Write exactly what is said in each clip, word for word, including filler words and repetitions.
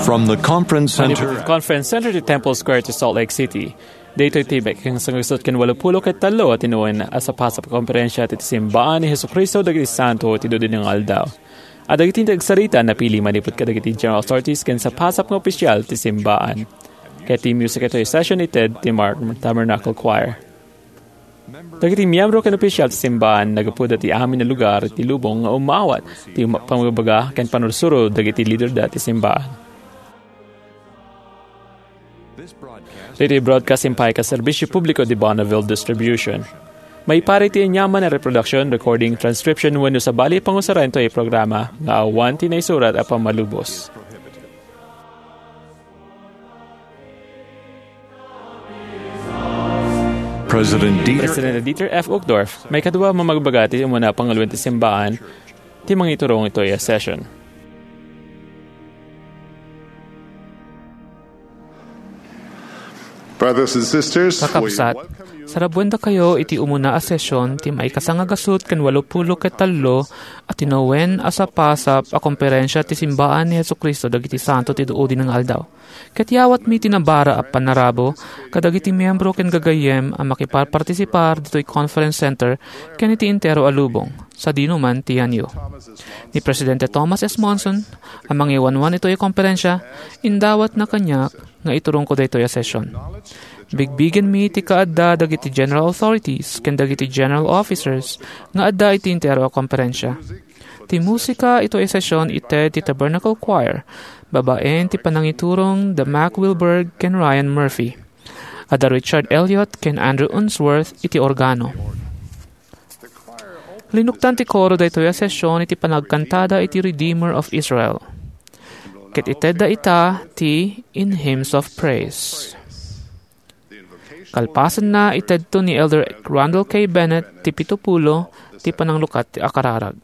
From the Conference Center. Manipud Conference Center ti Temple Square ti Salt Lake City. Daytoy ti maykasangagasut ken walupulo ket tallo a tinuoen a sapasap a komperensia ti Simbaan ni Jesu-Cristo dagiti Santo ti Dudi nga Aldaw. A dagiti agsarita napili manipud kadagiti general authorities ken sapasap nga opisial ti Simbaan. Ket ti music itoy session ited ti Mar-, Tabernacle Choir. Dagiti miyembro ken opisial ti Simbaan naggapuda ti amin a lugar ti lubong nga umawat ti ma-, pamagbaga ken pannursuro dagiti liderda ti Simbaan. Ditoy broadcast impaay ken serbisyo publiko ti Bonneville Distribution. Maipaay ti aniaman a reproduction, recording, transcription, wenno sabali a pangusaran ditoy programa nga awan ti naisurat a pammalubos. President Dieter President Dieter F. Uchtdorf, maikadua a mamagbaga ti umuna a panguloen ti Simbaan, ti mangiturong itoy a session. Brothers and sisters, we Kakabsat, welcome you. Sarabuendakayo iti umuna a session ti maikasangagasut ken walupulo ket tallo a tinuoen a sapasap a komperensia ti Simbaan ni Jesu-Cristo dagiti Santo ti Dudi nga Aldaw. Ket yawatmi ti nabara a pannarabo kadagiti miyembro ken gagayyem a makiparpartisipar ditoy Conference Center ken iti entero a lubong, sadino man ti yanyo. Ni Presidente Thomas S. Monson, a mangiwanwan itoy a komperensia, indawatna kaniak nga iturongko daytoy a session. Bigbigenmi ti kaadda dagiti general authorities ken dagiti general officers nga adda iti entero a komperensia. Ti musika itoy a session ited ti Tabernacle Choir, babaen ti panangiturong da Mac Wilberg ken Ryan Murphy. Adda Richard Elliott ken Andrew Unsworth iti organo. Linuktan ti koro daytoy a session iti panagkantada iti Redeemer of Israel. Ket itedda ita ti In Hymns of Praise. Kalpasanna, itedto ni Elder Randall K. Bennett ti pito pulo ti pananglukat a kararag.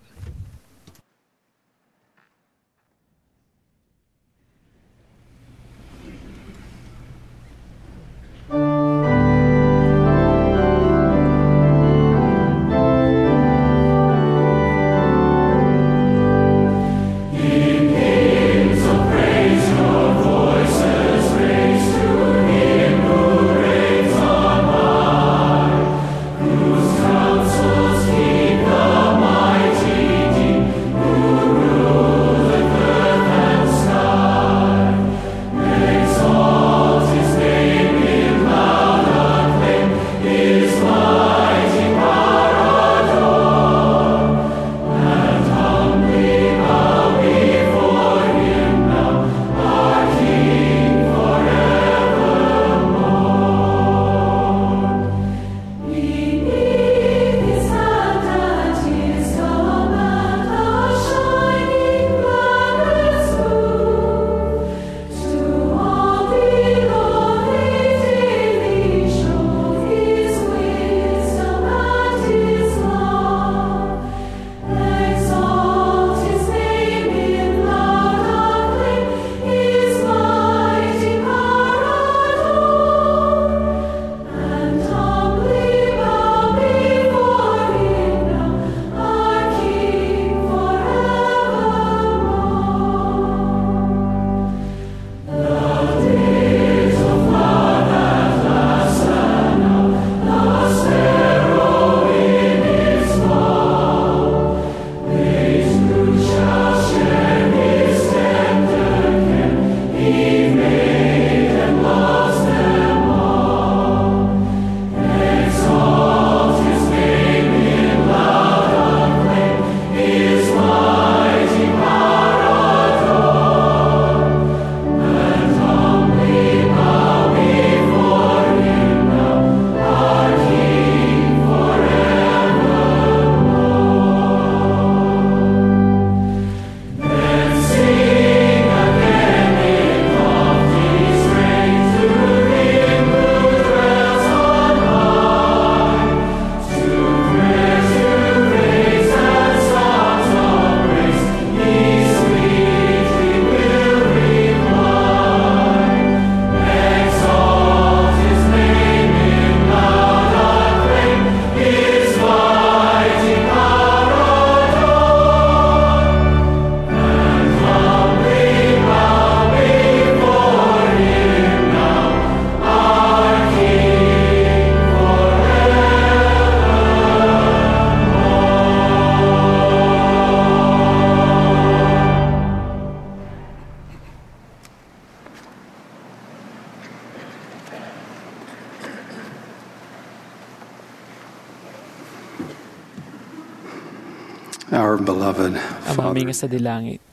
Our beloved Amami Father, nga sadi langit,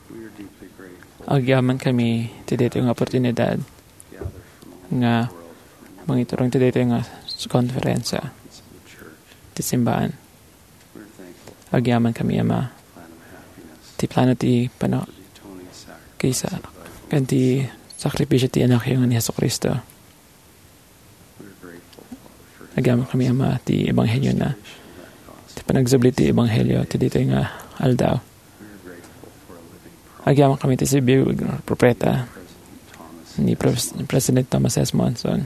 we are deeply grateful. Agyaman kami ti daytoy nga oportunidad gather from all nga over the world, mangiturong ti daytoy nga konferensya of the church, ti simbahan. We're thankful. Agyaman kami, Ama, Plan of happiness, ti plano ti pano-, the atoning sacrifice kisa, of thy ken ti sakripisyo ti Anakyo nga ni Jesu-Cristo. Agyaman kami, Ama, ti ebanghelio na, ti panagsubli ti ebanghelio ti ditoy nga aldaw. Agyaman kami ti sibibiag nga propeta ni Pres-, President Thomas S. Monson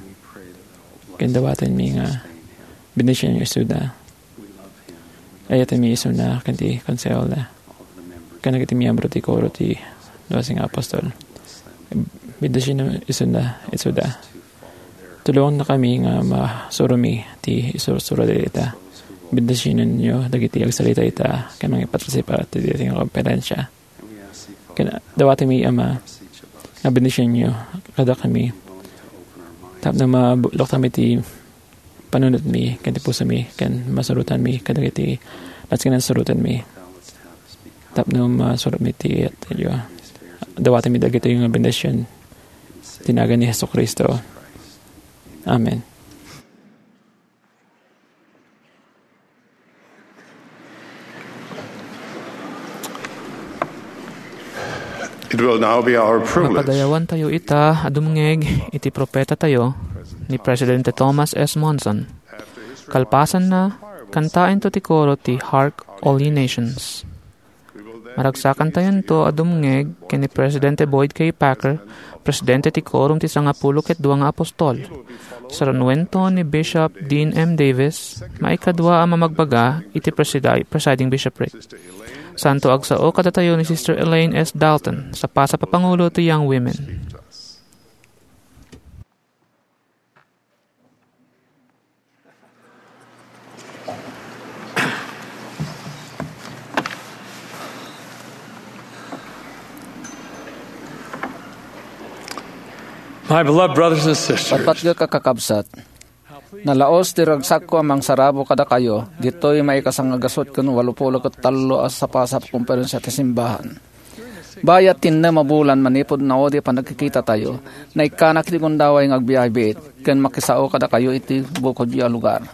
ken dawatenmi nga bendisionenyo isuda. Ayatenmi isuna ken ti konsehoda ken dagiti miyembro ti koro ti Doce nga Apostol. Bendisionenyo isuna, isuda. Tulongannakami nga masuromi ti isursuro dayta. Bendisionenyo dagiti agsalita ita ken mangipartisipa ti daytoy nga konferensya. Ken dawatenmi, Ama, nga bendisionenyo kadakami tapno mabuklokmi ti panunotmi ken ti pusomi ken masurotanmi kadagiti nasken a surotenmi tapno masurotmi ti iyatyo. Dawatenmi dagitoy nga bendision ti nagan ni Jesu-Cristo. Amen. It will now be our privilege. Mapadayawantayo ita a dumngeg iti propetatayo ni Presidente Thomas S. Monson. Kalpasanna, kantaentayo ti koro ti Hark, All Ye Nations. Maragsakantayonto a dumngeg ken ni Presidente Boyd K. Packer, Presidente ti Quorum ti Sangapulo ket Dua nga Apostol. Sarunuento ni Bishop Dean M. Davis, maikadua a mamagbaga iti presidi-, presiding bishopric. Santo agsao kadatayo ni Sister Elaine S. Dalton, sapasap a pangulo ti Young Women. My beloved brothers and sisters, Patpatgek a kakabsat, nalaos ti ragsakko a mangsarabo kadakayo ditoy maikasangagasut ken walupulo ket tallo a sapasap a konferensia ti simbahan. Bayat ti innem a bulan manipud naudi a panagkikitatayo, naikkanak iti gundaway nga agbiahe biit ken makisao kadakayo iti bukodyo a lugar.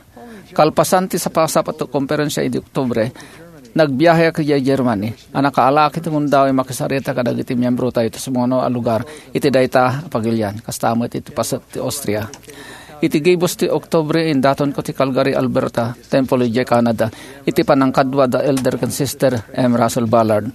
Kalpasan ti sapasap a konferensia idi Oktubre, nagbiaheak idiay Germany a nakaalaak iti gundaway makisarita kadagiti miembrotayo ti sumuno a lugar iti dayta a pagilian, kasta met iti paset ti Austria. Iti gibus ti Oktubre, indatonko ti Calgary, Alberta, Temple idiay Canada, iti panangkadua da Elder ken Sister M. Russell Ballard,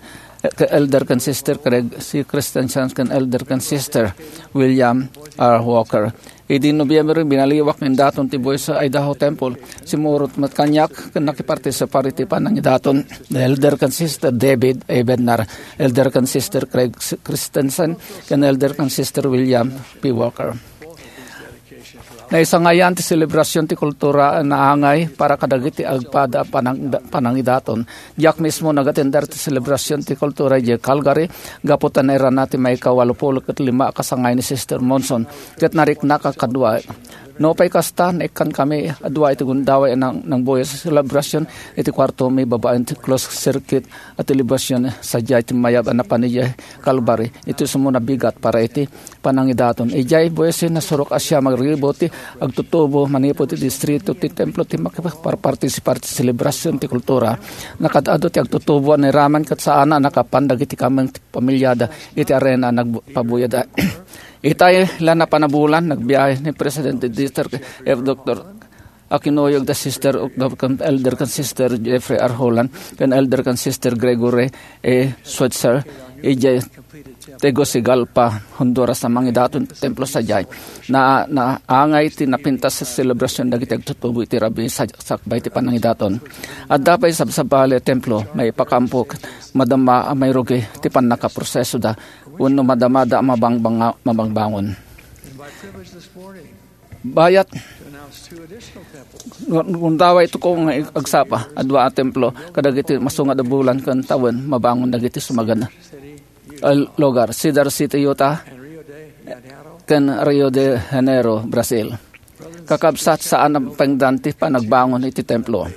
ken Elder ken Sister Craig C. Christensen, ken Elder ken Sister William R. Walker. Idi Nobyembre, binaliwak nga indaton ti buis Idaho Temple. Simmurot met kaniak ken nakipartisipar iti panangidaton da Elder ken Sister David A. Bednar, Elder ken Sister Craig C. Christensen, ken Elder ken Sister William P. Walker. Naisangayan ti selebrasion ti kultura a naangay para kadagiti agpada a panang-, panangidaton. Diak mismo nagatender ti selebrasion ti kultura idiay Calgary gapu ta nairana ti maikawalupulo ket lima a kasangay ni Sister Monson ket nariknak a kadua. Nupay kasta, naikkan kami a dua iti gundaway a nang-, nangbuya a selebrasion iti kuartomi babaen ti closed circuit a television sadiay ti mayab a napan idiay Calvary iti sumuno a bigat para iti panangidaton. Idiay buis, nasurok a siam a ribu ti agtutubo manipud iti distrito ti templo ti makiparpartisipar ti selebrasion ti kultura. Nakaad-adu ti agtutubo a nairaman ket saan a nakapan dagiti kameng ti pamilyada iti arena a nagpabuyada. Itay la napan a bulan, nagbiahe ni Presidente Dieter F. Doctor a kinuyog da Sister Octave ken Elder ken Sister Jeffrey R. Holland ken Elder ken Sister Gregory A. Switzer idiay Tegucigalpa, Honduras, a mangidaton ti templo sadiay. Na, naangay ti napintas a selebrasion dagiti agtutubo iti rabii sa-, sakbay ti panangidaton. Adda pay sabsabali a templo, maipakampo, madama a mairugi ti pannakaprosesoda, wenno madamada a mabangbanga-, mabangbangon. Bayat, gun-, gundaway ito ko nga ag-, agsapa, a dua a templo, kadagiti masungad a bulan ken tawen, mabangon dagiti sumagan a lugar, Cedar City, Utah, ken Rio de Janeiro, Brazil. Kakabsat, saan a pengdan ti panagbangon iti templo.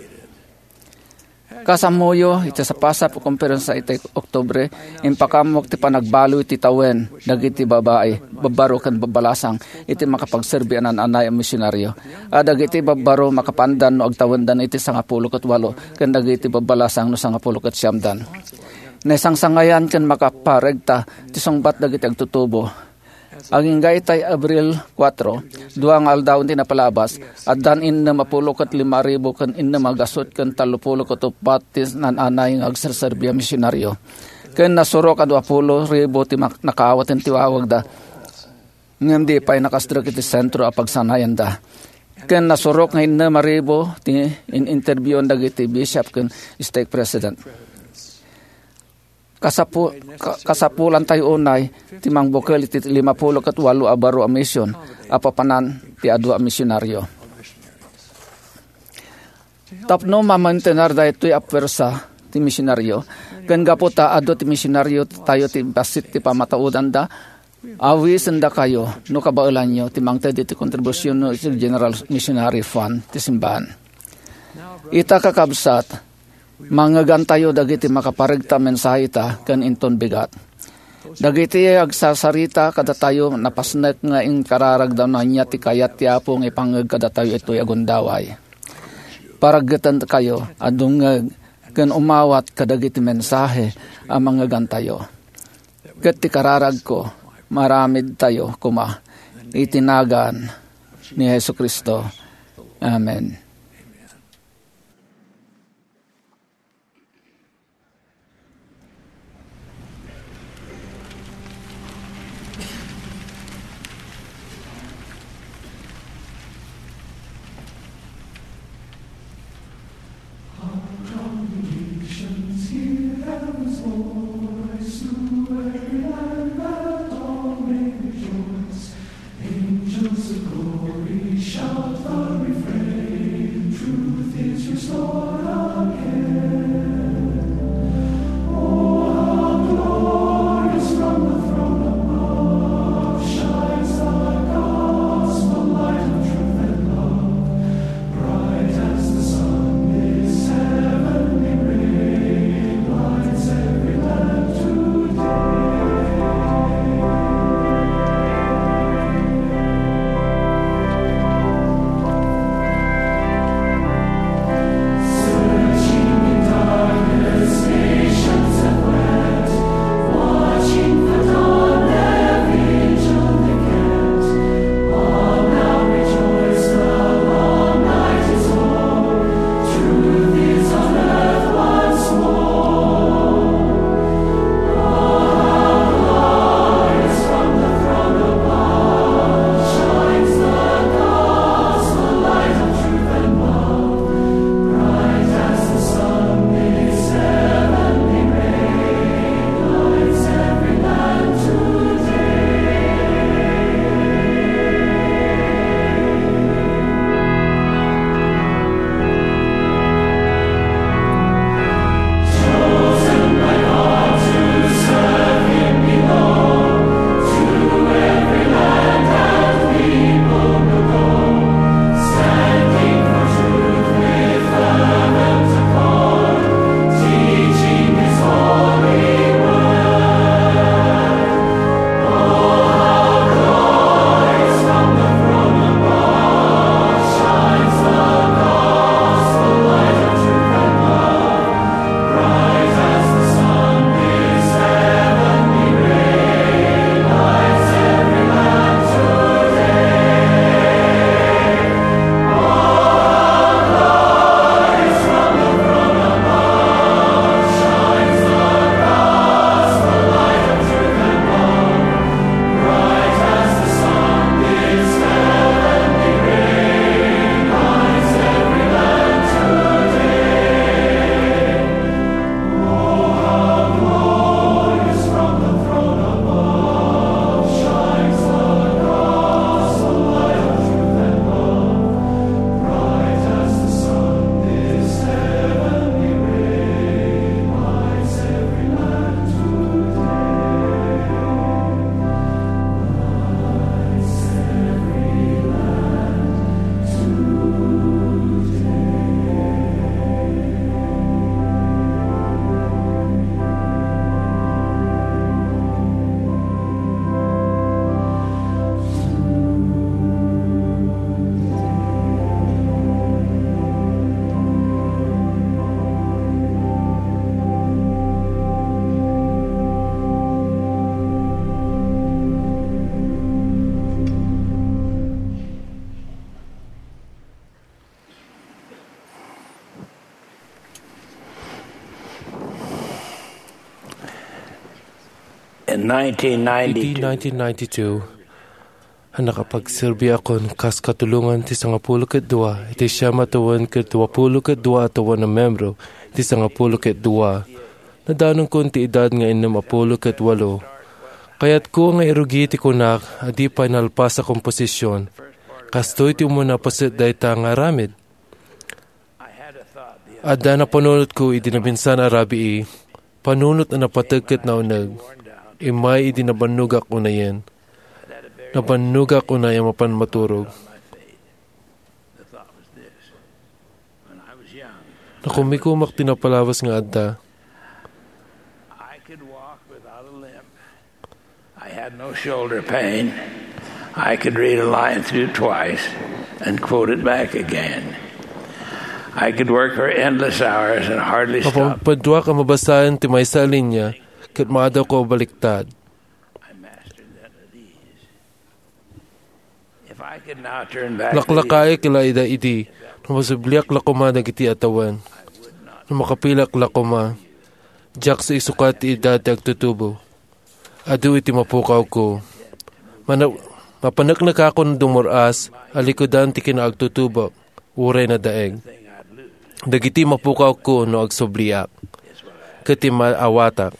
Kasammoyo, iti sapasap a komperensia iti Oktubre, impakaammo ti panagbaloy ti tawen dagiti babai, babbaro ken babbalasang iti makapagserbi a naan-anay a misionaryo. A dagiti babbaro makapaandan no agtawendan iti sangapulo ket walo ken dagiti babbalasang no sangapulo ket siamdan. Naisangsangayan ken makaparegta ti sungbat dagiti agtutubo. Agingga itay Abril kuatro, dua nga aldaw ti napalabas, addan innem a pulo ket lima ribu ken innem a gasut ken tallo pulo ket uppat ti naan-anay nga agserserbi a misionaryo. Ken nasurok a dua pulo ribu ti mak-, nakaawat ti wawagda, ngem di pay nakasdrek iti sentro a pagsanayanda. Ken nasurok nga innem a ribu ti in-interviewon dagiti bishop ken stake president. Kasapu-, ka-, kasapulantayo unay ti mangbukel iti lima pulo ket walo a baro a mision a papanan ti adu a misionaryo. Tapno mamaintenar daytoy a puwersa ti misionaryo, ken gapu ta adu ti misionaryo tayo ti bassit ti pamataudanda, awisendakayo no kabaelanyo ti mangted iti kontribusionyo iti General Missionary Fund ti simbahan. Ita, kakabsat, mangngegantayo dagiti makaparegta a mensahe ta ken inton bigat. Dagiti agsasarita kadatayo napasnek nga inkararagda no ania ti kayat ti Apo nga ipangngeg kadatayo itoy a gundaway. Paraggetankayo a dumngeg ken umawat kadagiti mensahe a mangngegantayo. Ket ti kararagko, maaramidtayo koma iti nagan ni Jesu-Cristo. Amen. In nineteen ninety-two, nineteen ninety-two, a nakapagserbiakon kas katulongan ti sangapulo ket dua iti siam a tawen ket duapulo ket dua a tawen a membro iti sangapulo ket dua. Nadanonkon ti edad nga innem a pulo ket walo. Kayatko nga irugi ti kunak a di pay nalpas a komposision. Kastoy ti umuna paset dayta nga aramid. Adda napanunotko idi nabinsan a rabii, panunot a napateg ket nauneg. Immay idi nabannogak unayen. Nabannogak unay a mapan maturog. Nakumikumak ti napalabas nga adda. I had no shoulder pain. I could read a line through twice and quote it back again. I could work for endless hours and hardly stop. Mapaduak a mabasaen ti maysa a linia ket maadawko a baliktad. I mastered that at ease. If I could now turn back the Laklakaek la ida idi, no masubliak la koma dagiti a tawen. No makapilak la koma, diak sa isukat ti edad ti agtutubo. Adu iti mapukawko. Mana-, mapaneknekakon dumur-as a likudan ti kinaagtutubok, uray nadaeg. Dagiti mapukawko no agsubliak. Ket ti maawatak.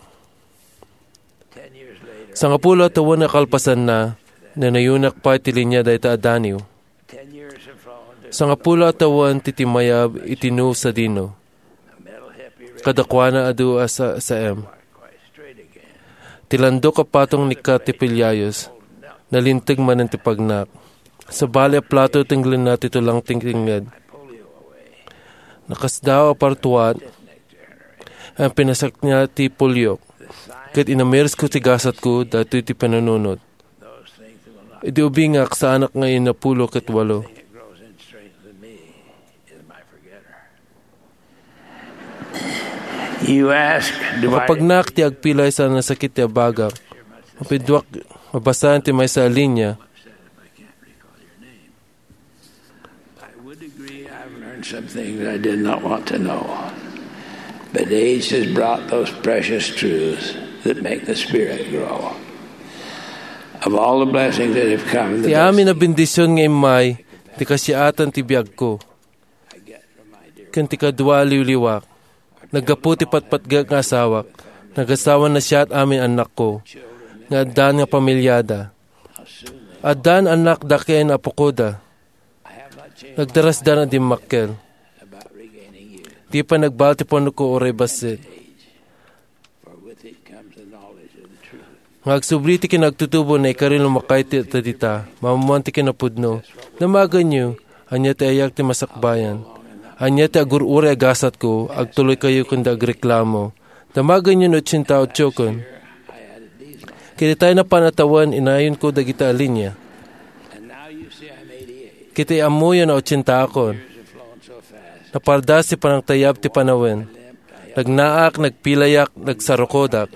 Sangapulo a tawen a kalpasanna, nanayonak pay ti linia dayta a daniw. Sangapulo a tawen ti timmayab iti New Sadino. Kadakuana adu a sa-, saem. Ti landok a patong ni Katipiliayos, nalinteg manen ti pagnak. Sabali a plato tenglenna ti tulang ti kengnged. Nakasdaaw a partuat, a pinasakna ti pulyok, ket inamirsko ti gasatko daytoy ti panunot. Idi ubingak, saanak nga innapulo ket walo. You ask, do I Nakapagnak ti agpilay sa nasakit ti abagak. Mapaduak mabasaen ti maysa a linia. I would agree I've learned some things I did not want to know. But age has brought those precious truths that make the spirit grow. Of all the blessings that have come, the Ti best amin a bendision nga immay, ti kasiatan ti biagko. Ken ti kadua a liwliwak. Naggapu ti patpatgek nga asawak. Nagasawa na siak amin annakko. Nga addan nga pamiliada. Addan annakda ken apokoda. Nagdarasdan a dimmakkel. Di pay nagbal ti panunotko uray bassit. Nga agsubli ti kinaagtutubo, naikari lumakay ti tadita, mammuan ti kinapudno. Damagenyo, ania ti ayak ti masakbayan? Ania ti agur-uray a gasatko? Agtuloykayo ken agreklamo. Damagenyo no otsenta otsoken. Ket itay napan a tawen, inayonko dagita a linia. Ket ammoyo nga otsentaakon. Napardas ti panangtayab ti panawen. Nagnaak, nagpilayak, nagsarukodak.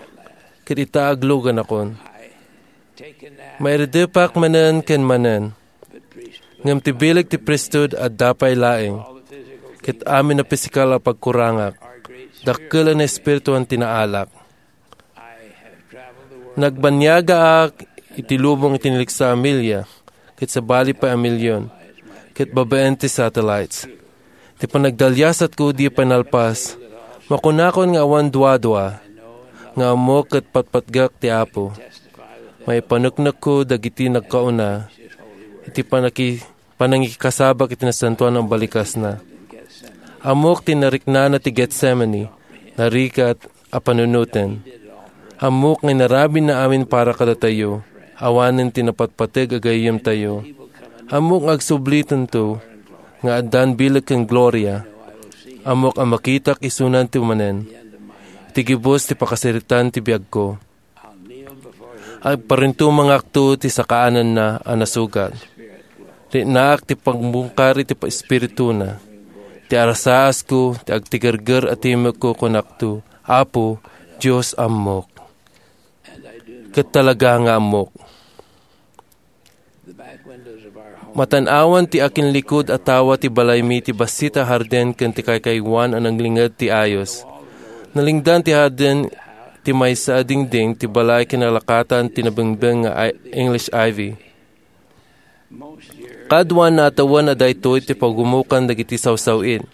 Ket ita agluganakon. Mairedepak manen ken manen. Ngem ti bileg ti priesthood adda pay laeng. Ket amin a pisikal a pagkurangak, dakkel a naespirituan ti naalak. Nagbaniagaak iti lubong iti naliksa a milia, ket sabali pay a milion, ket babaen ti satellites. Ti panagdaliasatko di pay nalpas. Makunakon nga awan duadua, nga ammok ket patpatgak ti Apo. Maipaneknekko dagiti nagkauna iti panaki-, panangikasabak iti nasantoan a balikasna. Ammok ti nariknana ti Getsemani, narigat a panunoten. Ammok nga inarabidna amin para kadatayo, awanen ti napatpateg a gayyemtayo. Ammok nga agsublitento nga addan bileg ken gloria. Ammok a makitak isunan ti manen. Iti gibus ti pakasaritan ti biagko. Agparintumangakto ti sakaananna a nasugat. Riknaak ti pagbungkar iti pa-, espirituna. Ti arasaasku, ti agtigerger a timekko, kunakto, "Apo, Dios, ammok." Ket talaga nga ammok. Matan-awan ti akinlikud a tawa ti balaymi ti bassit a hardin ken ti kaykaywan a nanglinged ti ayos. Nalingdan ti hardin ti maysa a dingding ti balay kinalakatan ti nabingbing nga i-, English ivy. Kaduana a tawen a daytoy ti pagumokan dagiti sawsaw-it.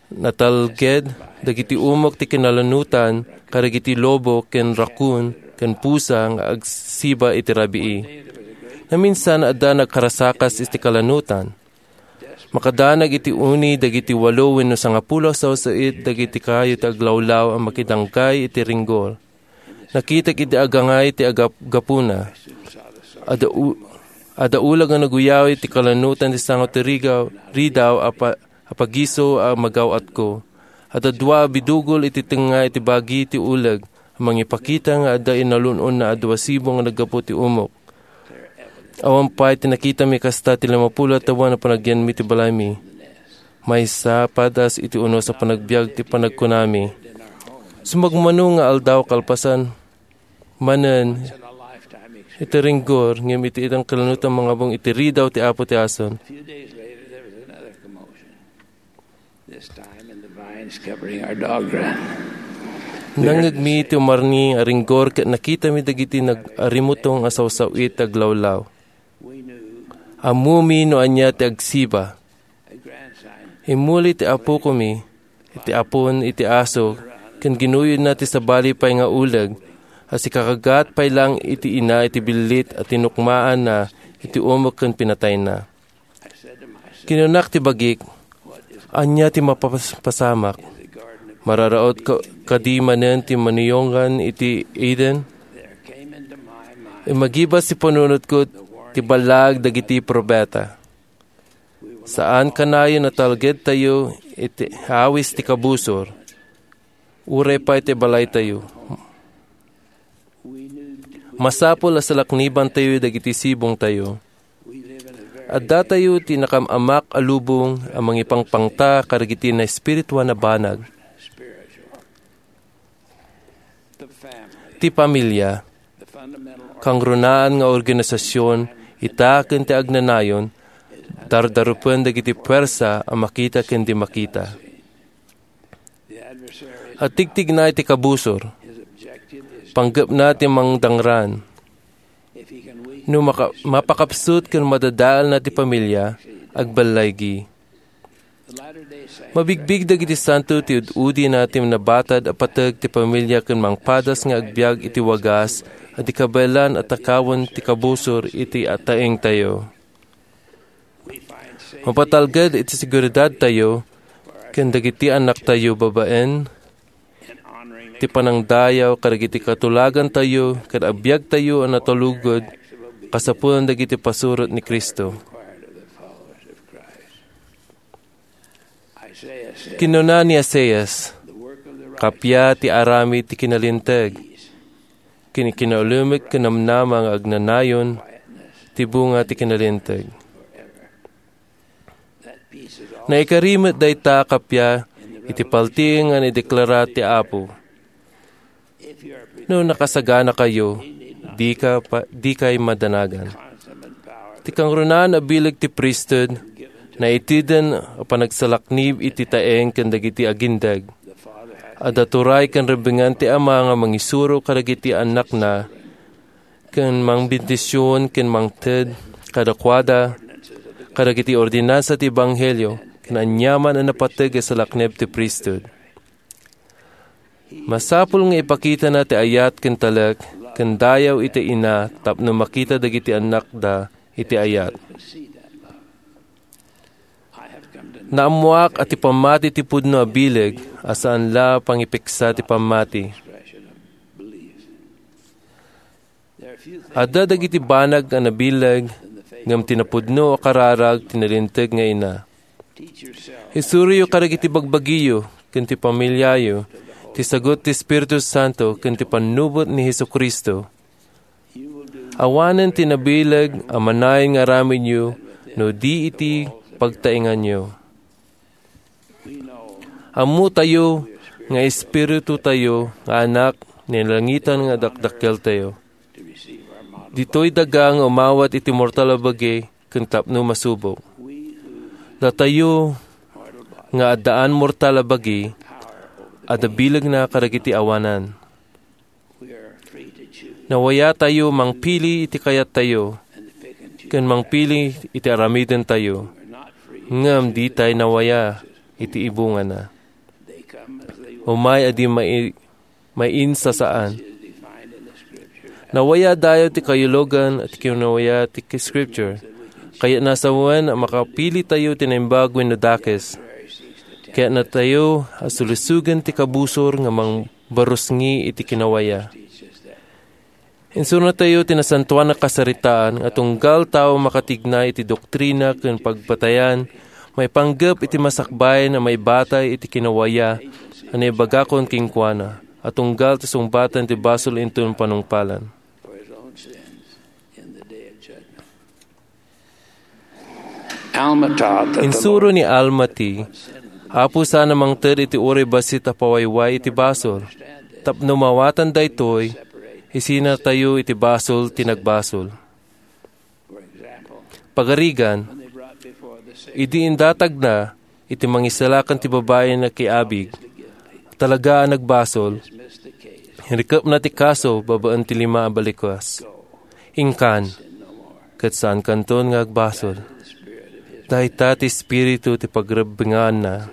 Natalged dagiti umok ti kinalanutan kadagiti lobo ken raccoon ken pusa nga agsiba iti rabii. Naminsan, adda nagkarasakas iti kalanutan. Makadanag iti uni dagiti walo wenno sangapulo a sawsawit dagiti kayo ti aglawlaw a makidanggay iti ringgor. Nakitak iti agangay ti agap-, gapuna. Adda u-, adda ulag a naguyaw iti kalanutan ti sango ti rigaw, ridaw a pa-, a pagiso a magaw-atko. Adda dua a bidugol iti tengnga iti bagi ti uleg a mangipakita nga adda inalun-onna a dua sibo nga naggapu ti umok. Awan pay ti nakitami kasta ti limapulo a tawen a panagyanmi ti balaymi. Maysa padas iti unos a panagbiag ti panagkunami. Sumagmamano nga aldaw kalpasan manen iti ringgor, ngem iti itang kalanutan mangabong iti ridaw ti Apo ti ason. This time in the vines covering our dog run. Nangngegmi ti umarni a ringgor ket nakitami dagiti nag-arimutong a sawsaw-it aglawlaw. Ammomi no ania ti agsiba. Immuli ti apokomi, iti apon, iti aso, ken ginuyodna ti sabali pay nga uleg, a sikakagat pay lang iti ina iti billit a tinukmaanna iti umok ken pinatayna. Kinunak ti bagik, "Ania ti mapapasamak? Mararaot ka-, kadi manen ti manuyongan iti Eden?" Immagibas ti panunotko ti ballag dagiti profeta. Saan kanayon a talgedtayo iti awis ti kabusor, uray pay ti balaytayo. Masapul a salaknibantayo dagiti sibongtayo. Addatayo ti nakam-amak a lubong a mangipangpangta kadagiti naespirituan a banag. Ti pamilya, kangrunaan nga organisasyon, ita ken ti agnanayon, dardarupen dagiti puwersa a makita ken di makita. Atigtigna iti kabusor, panggepna ti mangdangran. No maka-, mapakapsut ken madadaelna ti pamilya, agballaygi. Mabigbig dagiti santo ti ud-udina ti nabatad a pateg ti pamilya ken mangpadas nga agbiag iti wagas a di kabaelan a takawen ti kabusor iti ataengtayo. Mapatalged iti seguridadtayo ken dagiti annaktayo babaen ti panangdayaw kadagiti katulagantayo ken agbiagtayo a natalugod kasapulan dagiti pasurot ni Cristo. Kinuna ni Isaias, "Kappia ti aramid ti kinalinteg, ken kinaulemek ken namnama nga agnanayon ti bunga ti kinalinteg." Naikari met dayta a kappia iti paltiing nga naideklara ti Apo. No nakasaganakayo, dika pa, dikay madanagan. Ti kangrunaan a bileg ti priesthood, naiteden a panagsalaknib iti taeng ken dagiti agindeg. Adda turay ken rebbingan ti Ama nga mangisuro kadagiti annakna, ken mangbendision ken mangted kadakuada kadagiti ordinansa ti ebanghelio ken aniaman a napateg a salaknib ti priesthood. Masapul nga ipakitana ti ayat ken talek ken dayaw iti ina tapno makita dagiti annakda iti ayat. Naammoak a ti pammati ti pudno a bileg a saan la pangipiksa ti pammati. Adda dagiti banag a nabileg ngem ti napudno a kararag ti nalinteg nga ina. Isuroyo kadagiti bagbagiyo ken ti pamiliayo ti sagut ti Espiritu Santo ken ti pannubot ni Jesu-Cristo. Awanen ti nabileg a manayon nga aramidyo no di iti pagtaenganyo. Ammotayo nga espiritutayo nga anak ni langitan nga dakdakkeltayo. Ditoy daga nga umawat iti mortal a bagi ken tapno masubok. Datayo nga addaan mortal a bagi, adda bilegna kadagiti awanan. Nawayatayo mangpili iti kayattayo ken mangpili iti aramidentayo, ngem ditay nawaya iti ibungana. Umay a di mai-, mainsasaan. Nawayadayo ti kayalugan ti kinawaya ti Scripture. Kayatna sawen a makapilitayo ti naimbag wenno dakes. Kayatnatayo a sulusogen ti kabusor nga mangbarusngi iti kinawaya. Insurotayo ti Nasantoan a Kasaritaan nga tunggal tao makatignay iti doktrina ken pagpatayan, maipanggep iti masakbayan a maibatay iti kinawaya a naibagakon kenkuana, a tunggal ti sungbatan ti basol inton panungpalan. Alma taught that the Insuro Lord ni Alma ti, Apo sana mangted iti uray bassit a pawayway iti basol. Tapno mawatan daytoy, isinatayo iti basol ti nagbasol. Pagarigan, idi indatagna iti mangisalakan ti babai a nakiabig, talaga a nagbasol, rikepna ti kaso babaen ti lima a balikas. Inkan, ket saankanton nga agbasol. Dayta ti espiritu ti pagrebbenganna.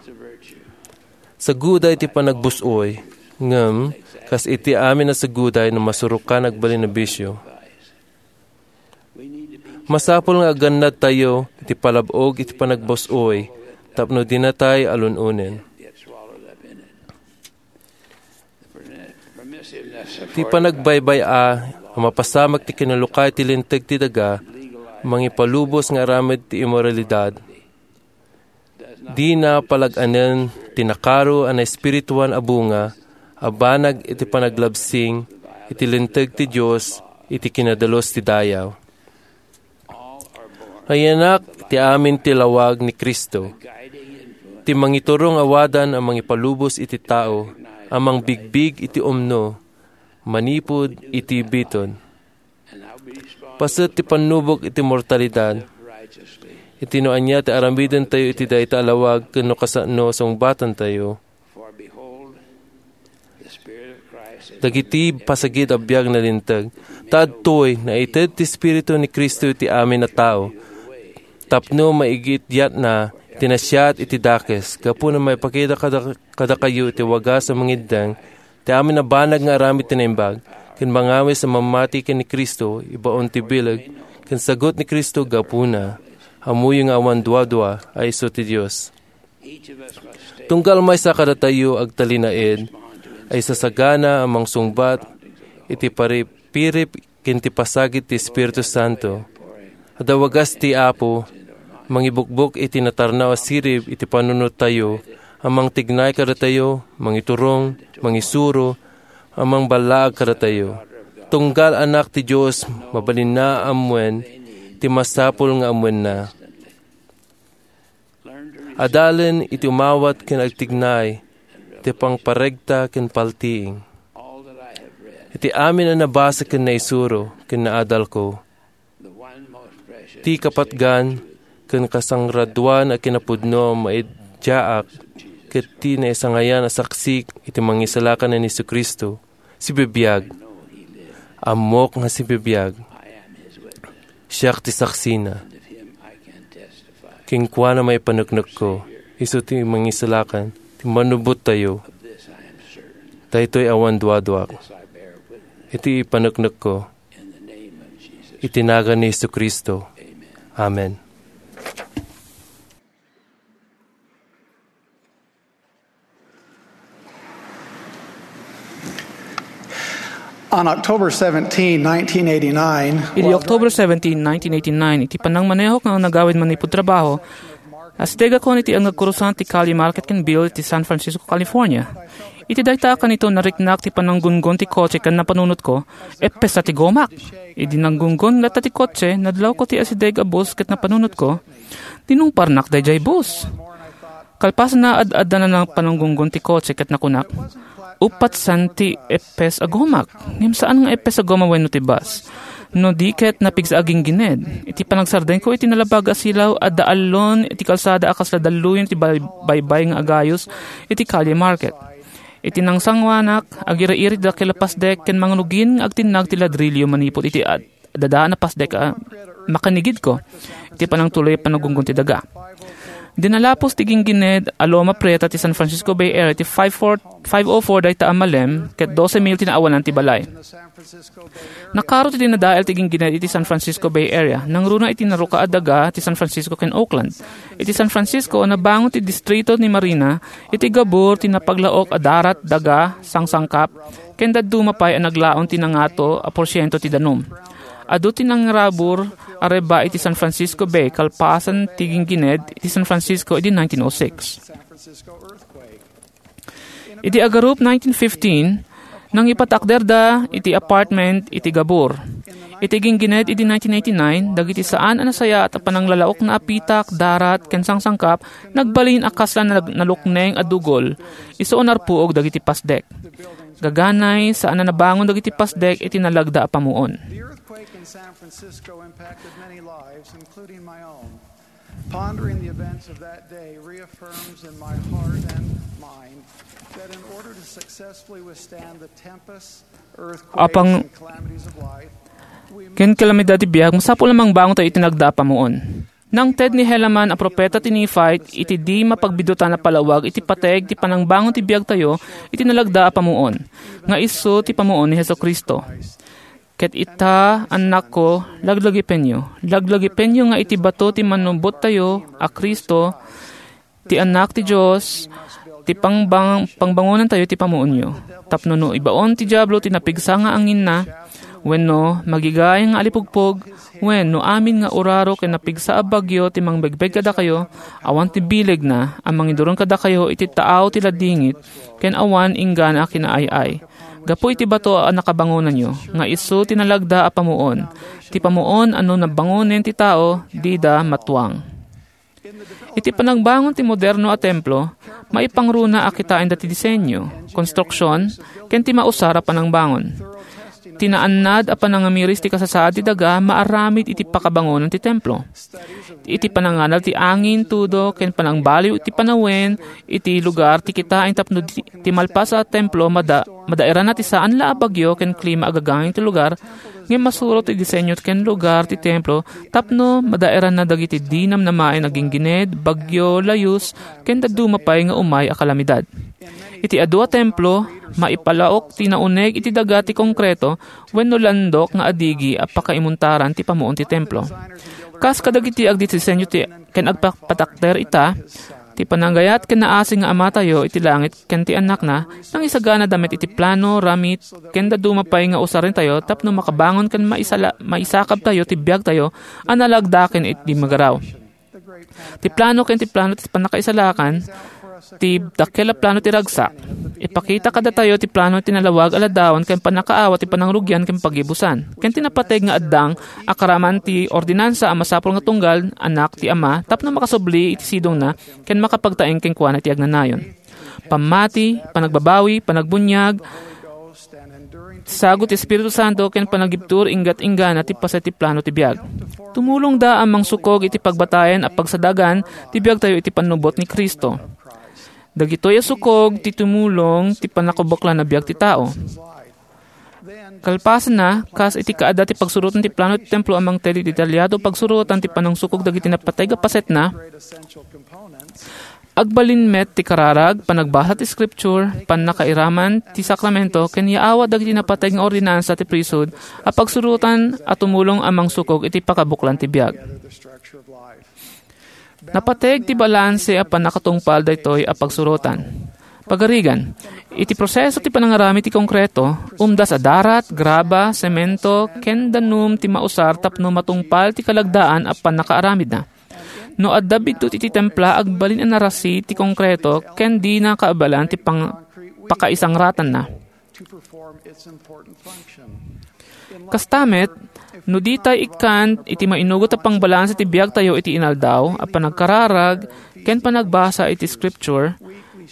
Saguday ti panagbus-oy, ngem kas iti amin a saguday no masurokan agbalin a bisio. Masapul nga agannadtayo iti palab-og iti panagbus-oy tapno dinatay alun-onen. Ti panagbaybay-a a mapasamak ti kinalukay ti linteg ti daga, mangipalubos nga aramid ti immoralidad, dina palag-anen ti nakaro a naespirituan a bunga a banag iti panaglabsing iti linteg ti Dios iti kinadalus ti dayaw. Nayanak ti amin ti lawag ni Cristo, ti mangiturong a wadan a mangipalubos iti tao a mangbigbig iti umno manipud iti biton. Paset ti pannubok iti mortalidad, iti no ania ti aramidentayo iti dayta a lawag ken no kasano sungbatantayo. Dagiti pasagid a biag nalinteg, ta adtoy, naited ti Espiritu ni Cristo iti amin a tao, tapno maigiddiatna ti nasayaat iti dakes, gapu na maipakita kada-, kadakayo iti wagas a mangiddeng ti amin a banag nga aramid ti naimbag, ken mangawis a mamati ken ni Cristo ibaon ti bileg, ken sagut ni Cristo gapuna, ammoyo nga awan duadua a isu ti Dios. Tunggal maysa kadatayo agtalinaed a isasagana a mangsungbat iti paripirip ken ti pasagid ti Espiritu Santo. Adda wagas ti Apo, mangibukbok iti natarnaw a sirib iti panunottayo, a mangtignay kadatayo, mangiturong, mangisuro, a mangballaag kadatayo. Tunggal Anak ti Dios, mabalinna a ammuen ti masapul nga ammuenna. Adalen iti umawat ken agtignay, ti pangparegta ken paltiing. Iti amin a nabasa ken naisuro ken naadalko, ti kapatgan ken kasangradwan a kinapudno a maiddiaak ket ti naisangayan a saksik iti Mangisalakan a ni Jesu-Cristo, sibibiag. Ammok nga sibibiag. Siak ti saksina. Kenkuana maipaneknekko, isu ti Mangisalakan, ti Mannubottayo. Daytoy awan duaduak. Iti ipaneknekko, iti nagan ni Jesu-Cristo. Amen. On October seventeenth, nineteen eighty-nine, Idi while October seventeen, nineteen eighty-nine, iti panangmanehok nga nagawid manipud trabaho, asidegakon iti agkurusan ti Calle Market ken Beale iti San Francisco, California. Iti dayta a kanito, nariknak ti pananggunggon ti kotse ken napanunotko, "Epes ti gomak!" Idi nanggunggon latta ti kotse, nadlawko ti asideg a bus ket napanunotko, "Dinungparnak daydiay bus." Kalpasanna, ad-adda nanangpananggunggon ti kotse ket nakunak, "Uppat senti epes a gomak, ngem saan nga epes a goma wenno ti bus. No di ket napigsa a ginggined." Iti panagsardengko iti nalabag a silaw, adda allon iti kalsada a kasla dalluyon ti bay-, baybay nga agayos iti Calle Market. Iti nangsangoanak, agiri-iri ti dakkel a pasdek ken mangrugin nga agtinnag ti ladrillo manipud iti ad-, adda a pasdek a makanigidko iti panangtuloy a panagunggon ti daga. Dinalapos ti ginggined a Loma Prieta ti San Francisco Bay Area ti five four, five oh four dayta a malem ket dose mil ti naawanan ti balay. Nakaro ti dinadael ti ginggined iti San Francisco Bay Area. Nangruna iti naruka a daga ti San Francisco ken Oakland. Iti San Francisco, nabangon ti distrito ni Marina iti gabur ti napaglaok a darat, daga, sangsangkap, ken dadduma pay a naglaon ti nangato a porsiento ti danum. Adu ti nangrabur a rebba iti San Francisco Bay kalpasan ti ginggined iti San Francisco idi nineteen oh six. Idi agarup nineteen fifteen, nangipatakderda iti apartment iti gabur. Iti ginggined idi nineteen eighty-nine, dagiti saan a nasayaat a pananglalaokna a pitak, darat, ken sangsangkap, nagbalin a kasla nag-, nalukneng a dugol, isu a narpuog dagiti pasdek. Gaganay, saan a nabangon dagiti pasdek iti nalagda a pamuon. The earthquake in San Francisco impacted many lives, including my own. Pondering the events of that day reaffirms in my heart and mind that in order to successfully withstand the tempests, earthquakes, Apang- and calamities of life, we ken kalamidad ti biag, masapul a mangbangon tayo iti nagda a pamuon. Nangted ni Helaman a propeta ti Nephite iti di mapagbidutan a palawag iti pateg ti panangbangon ti biagtayo iti nalagda a pamuon, nga isu ti pamuon ni Jesu-Cristo. Ket ita, annakko, laglagipenyo. Laglagipenyo nga iti bato ti mannubottayo a Cristo, ti Annak ti Dios, ti pangbang-, pangbangonantayo ti pamuonyo. Tapno no ibaon ti Diablo ti napigsa nga anginna, wenno magigayang nga alipugpog, wenno amin nga uraro ken napigsa a bagyo ti mangbegbeg kadakayo, awan ti bilegna a mangiduron kadakayo iti taaw ti ladingit, ken awan inggana a kinaay-ay. Gapu iti bato a nakabangonanyo, nga isu ti nalagda a pamuon. Ti pamuon a no nabangonen ti tao, dida matuang. Iti panagbangon ti moderno a templo, maipangruna a kitaen dati disenyo, konstruksion, ken ti mausar a panangbangon. Ti naannad a panangamiris ti kasasaad ti daga maaramid iti pakabangonan ti templo. Iti pananganal ti angin, tudo, ken panangbaliw iti panawen iti lugar ti kitaen tapno di-, ti malpas a templo mada-, madaeranna ti saan la a bagyo ken klima a gagangay ti lugar, ngem masuro ti disenyo ken lugar ti templo tapno madaeranna dagiti di namnamaen a ginggined, bagyo, layus, ken dadduma pay nga umay a kalamidad. Iti adu a templo, maipalaok ti nauneg iti daga ti konkreto wenno landok nga adigi a pakaimuntaran ti pamuon ti templo. Kas kadagiti agdidisenyo ti, ken agpapatakder ita, ti panagayat ken naasing nga Amatayo iti langit ken ti Annakna, nangisaganada met iti plano, ramid, ken dadduma pay nga usarentayo tapno makabangon ken maisala-, maisakabtayo ti biagtayo a nalagda ken iti magaraw. Ti plano ken ti plano ti pannakaisalakan, ti dakkel a plano ti ragsak. Ipakita kadatayo ti plano ti nalawag a ladawan ken pannakaawat ti panangrugian ken pagibusan, ken ti napateg nga addang a karaman ti ordinansa a masapul nga tunggal, anak ti Ama, tapno makasubli iti sidongna ken makapagtaeng kenkuana iti agnanayon. Pammati, panagbabawi, panagbuniag, sagut ti Espiritu Santo ken panagibtur inggat-inggana ti paset ti plano ti biag. Tumulongda a mangsukog iti pagbatayen a pagsadagan ti biagtayo iti pannubot ni Cristo. Dagitoy a sukog ti tumulong ti pannakabuklan a biag ti tao. Kalpasanna, kas iti kaada ti pagsurotan ti plano ti templo a mangted iti detalyado pagsurotan ti panangsukog dagiti napateg a pasetna, agbalin met ti kararag, panagbasa ti Scripture, pannakairaman ti sakramento, ken yaawat dagiti napateg nga ordinansa ti priesthood a pagsurotan a tumulong a mangsukog iti pakabuklan ti biag. Napateg ti balanse a pannakatungpal daytoy a pagsurotan. Pagarigan, iti proseso ti panangaramid ti konkreto, umdas a darat, graba, semento, ken danum ti mausar tapno matungpal ti kalagdaan a pannakaaramidna. No adda biddut iti templa, agbalin a narasi ti konkreto ken dina kaabalan ti pang-, pakaisangratanna. Kasta met, no ditay ikkan iti mainugot a pangbalanse ti biagtayo iti inaldaw a panagkararag ken panagbasa iti Scripture,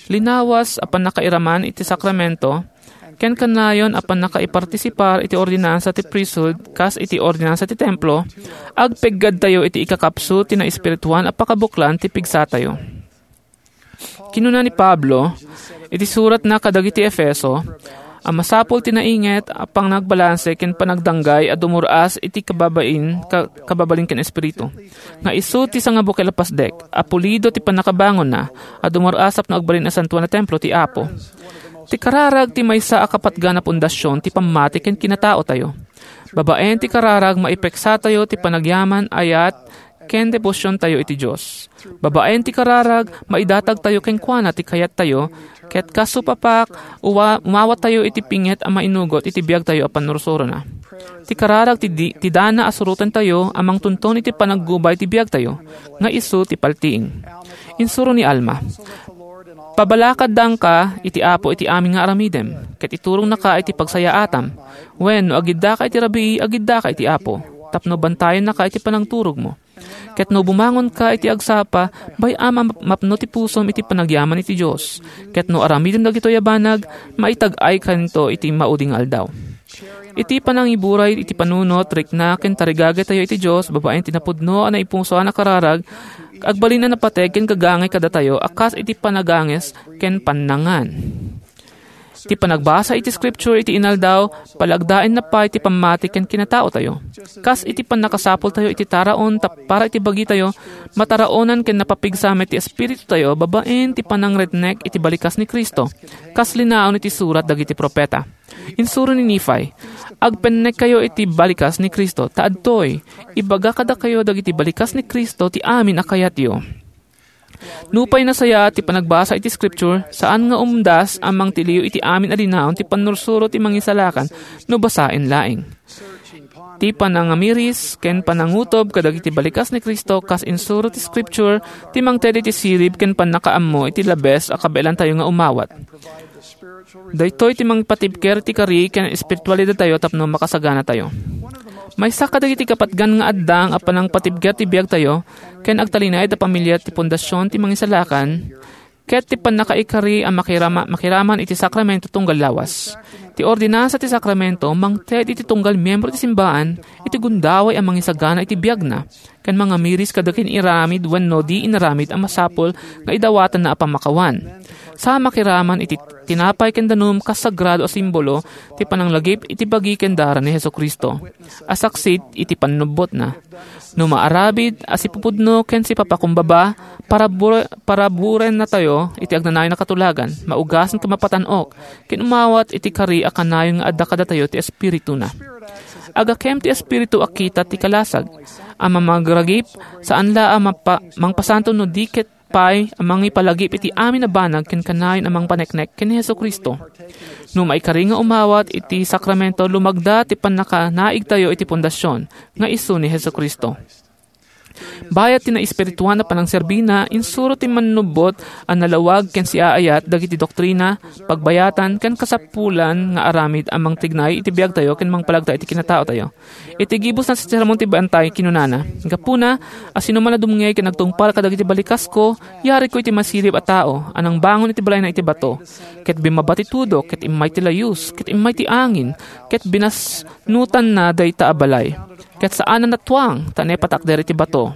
linawas a pannakairaman iti sakramento, ken kanayon a pannakaipartisipar iti ordinansa ti priesthood kas iti ordinansa ti templo, agpeggadtayo iti ikakapsut ti naespirituan a pakabuklan ti pigsatayo. Kinuna ni Pablo iti suratna kadagiti Efeso a masapul ti nainget a panagbalanse ken panagdanggay a dumur-as iti kababain, ka-, kababalin ken espiritu, nga isu ti sangabukel a pasdek a pulido ti pannakabangonna a dumur-as tapno agbalin a santuan a templo ti Apo. Ti kararag ti maysa a kapatgan a pundasyon ti pammati ken kinataotayo. Babaen ti kararag, maipeksatayo ti panagyaman, ayat, ken debosiontayo iti Dios. Babaen ti kararag, maidatagtayo kenkuana ti kayattayo, ket kas supapak, uwa-, umawatayo iti pinget a mainugot iti biagtayo a pannursurona. Ti kararag ti di-, ti dana a surotentayo a mangtunton iti panaggubay ti biagtayo, nga isu ti paltiing. Insuro ni Alma, "Pabalakaddanka iti Apo iti amin nga aramidem, ket iturongnaka iti pagsayaatam. Wen, no agiddaka iti rabii, agiddaka iti Apo, tapno bantayennaka iti panangturogmo. Ket no bumangonka iti agsapa, bay-am a map-, mapno ti pusom iti panagyaman iti Dios. Ket no aramidem dagitoy a banag, maitag-aykanto iti maudi nga aldaw." Iti panangiburay iti panunot, rikna, ken tarigagaytayo iti Dios babaen ti napudno a naipusoan a kararag, agbalin a napateg ken gagangay kadatayo a kas iti panaganges ken pannangan. Ti panagbasa iti Scripture iti inaldaw, palagdaenna pay ti pammati ken kinataotayo. Kas iti pannakasapultayo iti taraon tap-, para iti bagitayo, mataraonan ken napapigsa met ti espiritutayo babaen ti panangretnek iti balikas ni Cristo, kas linaon iti surat dagiti profeta. Insuro ni Nefi, "Agpennekkayo iti balikas ni Cristo, ta adtoy, ibaga kadakayo dagiti balikas ni Cristo ti amin a kayatyo." Nupay nasayaat ti panagbasa iti Scripture, saan nga umdas a mangtiliw iti amin a linaon ti pannursuro ti mangisalakan no basaen laeng. Ti panangamiris ken panangutob kadagiti balikas ni Cristo kas insuro ti Scripture ti mangted iti sirib ken pannakaammo iti labes a kabaelantayo nga umawat. Daytoy ti mangpatibker ti kari ken espiritualidadtayo tapno makasaganatayo. Maysa kadagiti kapatgan nga addang a panangpatibker ti biagtayo ken agtalinaed a pamiliat ti pundasyon ti mangisalakan ket ti pannakaikari a makirama-, makiraman iti sakramento tunggal lawas. Ti ordinansa ti sakramento mangted iti tunggal miembro ti simbaan iti gundaway a mangisagana iti biagna ken mangamiris kada kin-iramid wenno di inaramid a masapul nga idawatanna a pammakawan. Sa makiraman iti tinapay ken danum kas sagrado a simbolo ti pananglagip iti bagi ken dara ni Jesu-Cristo a saksit iti pannubbotna. No maaramid a sipupudno ken sipapakumbaba, parabur-, paraburennatayo iti agnanayon a katulagan, maugasen ken mapatan-ok, ken umawat iti kari a kanayon nga adda kadatayo ti Espirituna. Agakem ti Espiritu a kita ti kalasag a mamagragip, saan la a mapa-, mangpasanto no di ket pay a mangipalagip iti amin a banag ken kanayon a mangpaneknek ken ni Jesu-Cristo. No maikari nga umawat iti sakramento, lumagda ti pannakanaigtayo iti pundasyon nga isu ni Jesu-Cristo. Bayat ti naespirituan a panangserbina, insuro ti mannubbot a nalawag ken siaayat dagiti doktrina, pagbayatan, ken kasapulan nga aramid a mangtignay iti biagtayo ken mangpalagta iti kinataotayo. Iti gibusna ti Sermon ti Bantay, kinunana, "Gapuna, a sinuman a dumngeg ken agtungpal kadagiti balikasko, yariko iti masirib a tao a nangbangon iti balayna iti bato, ket bimmaba ti tudo, ket immay ti layus, ket immay ti angin, ket binasnutanna dayta a balay. Ket saan a natuang, ta ne patakder iti bato.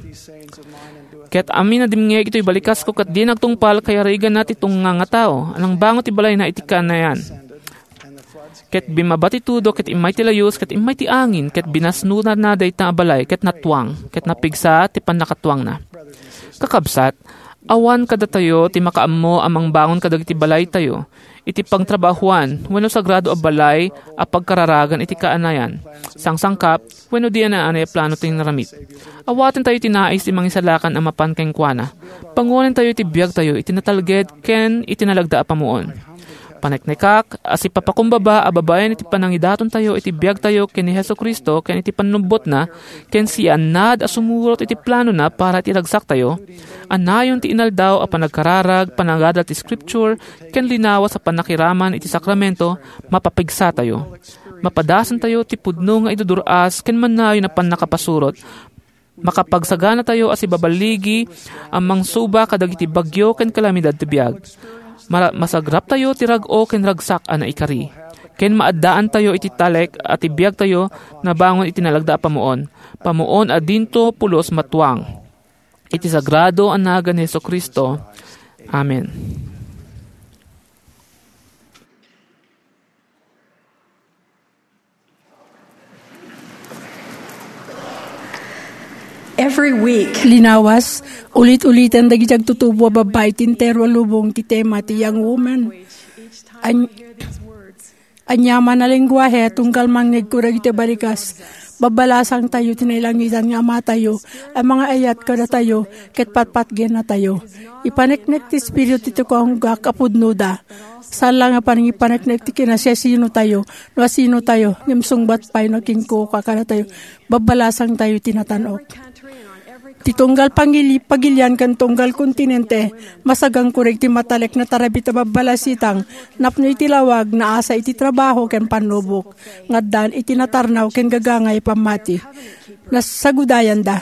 Ket amin a dimngeg itoy balikasko ket dina agtungpal, kayariganna ti tungnga nga tao a nangbangon ti balayna iti kanayan. Ket bimmaba ti tudo, ket immay ti layus, ket immay ti angin, ket binasnutanna dayta a balay, ket natuang, ket napigsa ti pannakatuangna." Kakabsat, awan kadatayo ti makaammo a mangbangon kadagiti balaytayo iti pagtrabahoan wenno sagrado a balay a pagkararagan iti kaanayan, sangsangkap, wenno di anaanay a plano ti inaramid. Awatentayo ti nais ti Mangisalakan a mapan kenkuana. Panguanentayo ti biagtayo iti natalged ken iti nalagda a pamuon. Paneknekak a sipapakumbaba a babaen iti panangidatontayo iti biagtayo ken ni Jesu-Cristo ken iti pannubbotna, ken siannad a sumurot iti planona para iti ragsaktayo, a nayon ti inaldaw a panagkararag, panagadal ti Scripture, ken linawas a pannakiraman iti sakramento, mapapigsatayo. Mapadasentayo ti pudno nga idudur-as ken mannayon a pannakapasurot. Makapagsaganatayo a sibaballigi a mangsuba kadagiti bagyo ken kalamidad ti biag. Mara-, masagraptayo ti rag-o ken ragsak a naikari. Ken maaddaantayo iti talek a ti biagtayo nabangon iti nalagda a pamuon. Pamuon a dinto pulos matuang. Iti sagrado a nagan ni Jesu-Cristo, Amen. Every week, linawas, ulit-uliten dagiti agtutubo a babbai ti entero a lubong ti tema ti Young Woman. An-, aniaman a lengguahe, tunggal mangngegko dagiti balikas, babbalasangtayo ti nailangitan nga Amatayo a mangaayat kadatayo ket patpatgennatayo. Ipaneknek ti Espiritu ti kaunggak a pudnoda. Saan la nga panangipaneknek ti kinasiasinotayo, no asinotayo, ngem sungbat pay no kinkuka kadatayo, babbalasangtayo ti natan-ok. Ti tunggal pangili-, pagilian ken tunggal kontinente, masagangko dagiti matalek nga tarabit a babbalasitang, napno iti lawag, naasa iti trabaho ken pannubok, nga addaan iti natarnaw ken gagangay a pammati. Nasagudayanda.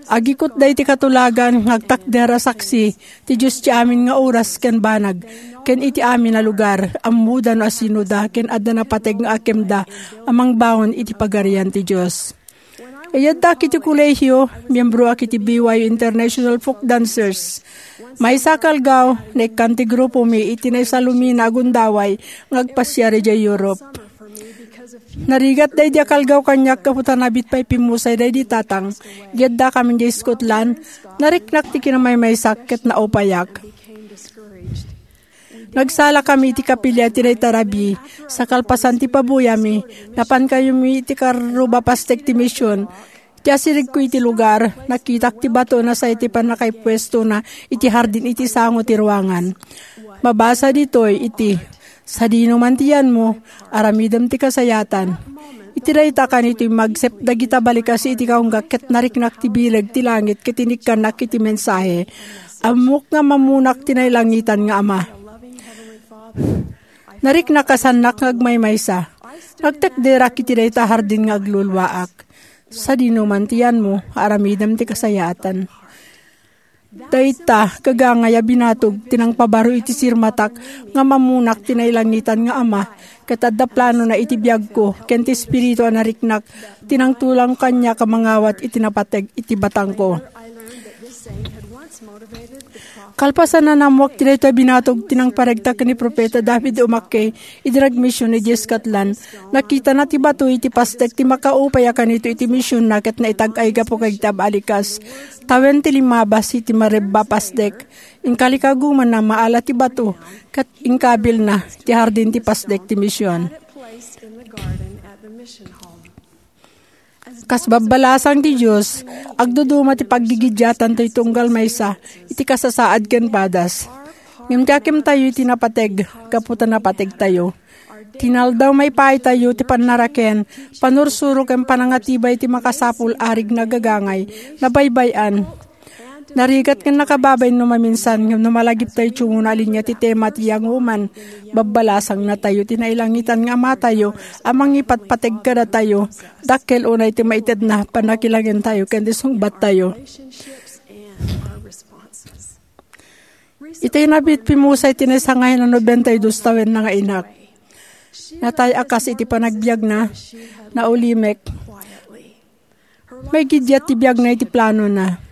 Agikutda iti katulagan nga agtakder a saksi ti Dios ti amin nga oras ken banag, ken iti amin a lugar, ammoda no asinoda, ken adda napateg nga akemda a mangbangon iti Pagarian ti Dios. Iyaddak iti kolehio, miyembroak iti B Y U International Folk Dancers. Maysa a kalgaw, naikkan ti grupomi iti naisalumina a gundaway nga agpasiar idiay Europe. Narigat daydi a kalgaw kaniak gapu ta nabit pay pimmusay daydi tatang. Iyaddakami idiay Scotland, nariknak ti kinamaymaysak ket naupayak. Nagsalakami iti kapilya iti dayta rabii. Sa kalpasan ti pabuyami, napankayomi iti karruba pastek ti mision. Ti asirigko iti lugar, nakitak ti bato a say ti pannakaipuestona iti hardin iti sango ti ruangan. Mabasa ditoy iti, "Sadino man ti yanmo, aramidem ti kasayatan." Iti dayta kanito, immagsep dagita balikas iti kaunggak ket nariknak ti bileg ti langit ket inikkannak iti mensahe. Ammok nga mammunak ti nailangitan nga Ama. Nariknak a saannak nga agmaymaysa. Nagtekderak iti dayta hardin nga agluluaak. Sadino man ti yanmo, aramidem ti kasayatan. Dayta, gagangay a binatog ti nangpabaro iti sirmatak nga mammunak ti nailangitan nga Ama, ket adda planona iti biagko, ken ti Espiritu a nariknak ti nangtulang kaniak a mangawat iti napateg iti batangko. Kalpasan a naammoak ti daytoy a binatog ti nangparegta ken ni Profeta David O. McKay idi nagmision idiay Scotland, nakitana ti bato iti pastek ti makaupay a kanito iti misionna ket naitag-ay gapu kadagiti abalikas. Tawen ti limmabas iti marebba a pastek. Inkalikagumanna, maala ti bato ket inkabilna ti hardin ti pastek ti mision. Kas babbalasang ti Dios, agduduma ti paggigidiatanto iti tunggal maysa iti kasasaad ken padas. Ngem ti akimtayo iti napateg, gapu ta napategtayo. Tinaldaw maipaaytayo ti pannaraken, panursuro ken panangatibay ti makasapul a rigna gagangay, nabaybay-an. Narigat ken nakababain no maminsan, ngem no malagiptayo ti umuna a linia ti tema ti Young Woman, babbalasangnatayo ti nailangitan nga Amatayo a mangipatpateg kadatayo, dakkel unay ti maitedna, pannakilangentayo ken ti sungbattayo. Itay nabit, pimmusay ti naisangay a nobenta y dos tawenna nga inak. Natay a kas iti panagbiagna, naulimek. Maigidiat ti biagna iti planona.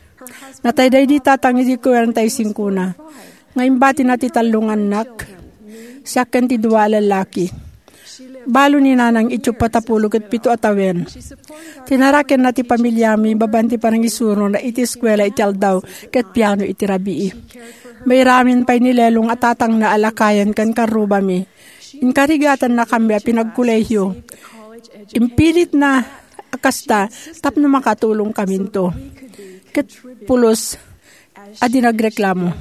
Natay daydi tatang iti kuarenta y singkona, nga imbatina ti tallo nga annak, siak ken ti dua a lallaki. Balo ni nanang iti uppat a pulo ket pito a tawen. Tinarakenna ti pamiliami babaen ti panangisurona iti eskuela iti aldaw ket piano iti rabii. Mairamin pay ni Lelong a tatangna a lakayen ken karrubami. Inkarigatannakammi a pinagkolehio. Impilitna a kasta tapno makatulongkaminto. Ket pulos a di nagreklamo.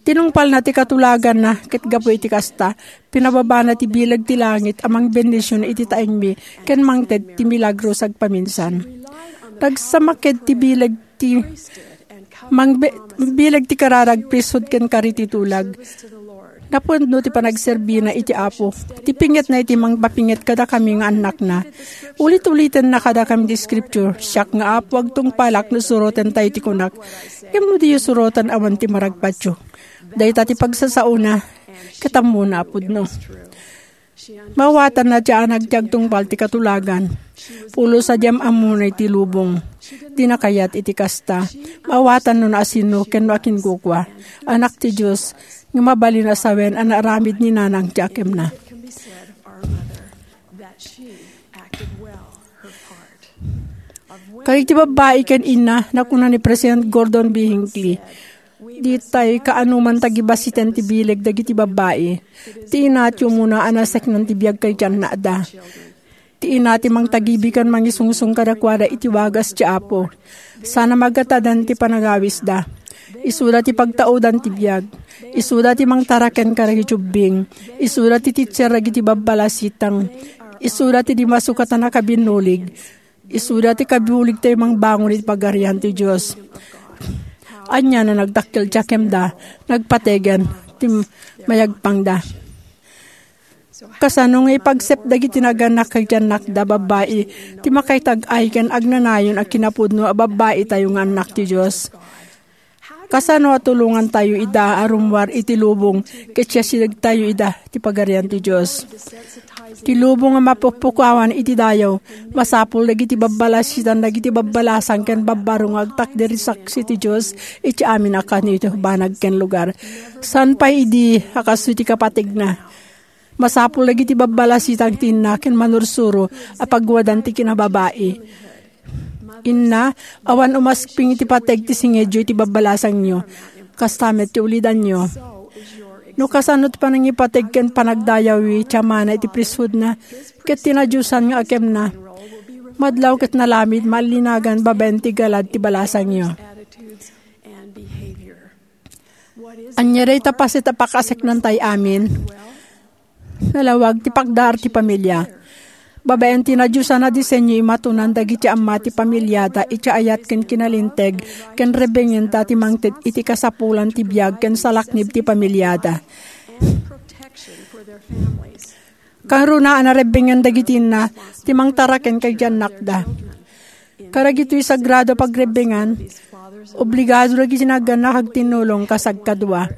Tinungpalna ti katulaganna, ket gapu iti kasta, pinababana ti bileg ti langit a mangbendision iti taengmi ken mangted ti milagro sagpaminsan. Nagsamaked ti bileg ti mangbe-, bileg ti kararag, priesthood ken kari ti tulag. Napudno ti panagserbina iti Apo. Ti pingetna iti mangpapinget kadakami nga annakna. Ulit-ulitenna kadakami ti scripture, "Siak nga Apo, agtungpalak no surotentayo ti kunak. Ngem no diyo suroten, awan ti maragpatyo." Dayta ti pagsasaona, ket ammona a pudno. Maawatanna ti anak ti agtungpal ti katulagan. Pulos a di am-ammona iti lubong. Dina kayat iti kasta. Maawatan no naasino ken no akinkukua. Anak ti Dios, nga mabalin a sawen a naaramid ni nanang ti akemna. Kadagiti babbai ken inna, nakuna ni President Gordon B. Hinckley, "Ditay kaanoman tagibassiten ti bileg dagiti babbai. Ti inna ti umuna a naseknan ti biag ken ti annakda. Ti inna ti mangtagibi ken mangisungsong kadakuada iti wagas ti Apo. Sana magatadan ti panagawisda. Isuda ti pagtaudan ti biag. Isuda ti mangtaraken kadagiti ubbing. Isuda ti teacher dagiti babbalasitang. Isuda ti di masukatan a kabinnulig. Isuda ti kabulig tayo mangbangon iti Pagarian ti Dios." Ania no nagdakkel ti akemda, nagpategen ti mayagpangda. Kasano nga ipagsep dagiti nagannak ken ti annakda babbai ti makaitag-ay ken agnanayon a kinapudno a babbai tayo nga annak ti Dios? Kasano a tulongan tayo ida a rummuar iti lubong ket siasireg tayo ida ti Pagarian ti Dios? Ti lubong a mapukpukawan iti dayaw, masapul dagiti babbalasitan dagiti babbalasang ken babbaro nga agtakder iti saksi ti Dios iti amin a kanito, banag ken lugar. Saan pay idi a kastoy ti kapategna. Masapul dagiti babbalasitang ti inna ken manursuro a pagwadan ti kinababai. Inna, awan umasping iti pateg ti singedyo iti babbalasangyo. Kasta met ti ulidanyo. No kasano ti panangipateg ken panagdayawyo iti amana iti priesthoodna ket ti nadiosan nga akemna, madlaw ket nalamid mallinagan babaen ti galad ti balasangyo. Ania dayta paset a pakaseknantay amin? Nalawag ti pagdar ti pamilya. Babaen ti nadiosan a disenyo, imatonan dagiti amma ti pamiliada iti ayat ken kinalinteg ken rebbengenta ti mangted iti kasapulan ti biag ken salaknib ti pamiliada. Karuna a narebbengan dagiti inna ti mangtaraken kadagiti annakda. Kadagitoy sagrado a pagrebbengan, obligado dagiti nagannak agtinnulong kas agkadua.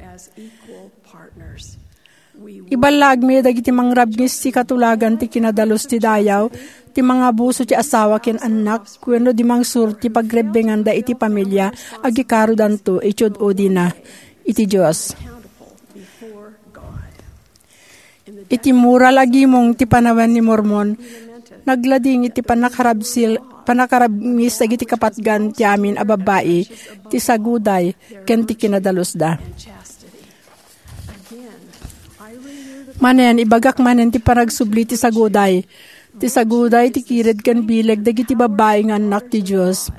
Iballaagmi dagiti mangrabngis ti katulagan ti kinadalus ti dayaw, ti mangabuso ti asawa ken annak, wenno di mangsuro ti pagrebbenganda iti pamilya, agikarodanto iti ud-udina iti Dios. Iti moral a gimong ti Panawen ni Mormon, nagladingit ti pannakarabsil-, pannakarabngis dagiti kapatgan ti amin a babbai, ti saguday, ken ti kinadalusda. Manen, ibagak manen ti panagsubli ti saguday. Ti saguday ti kired ken bileg dagiti babbai nga annak ti Dios.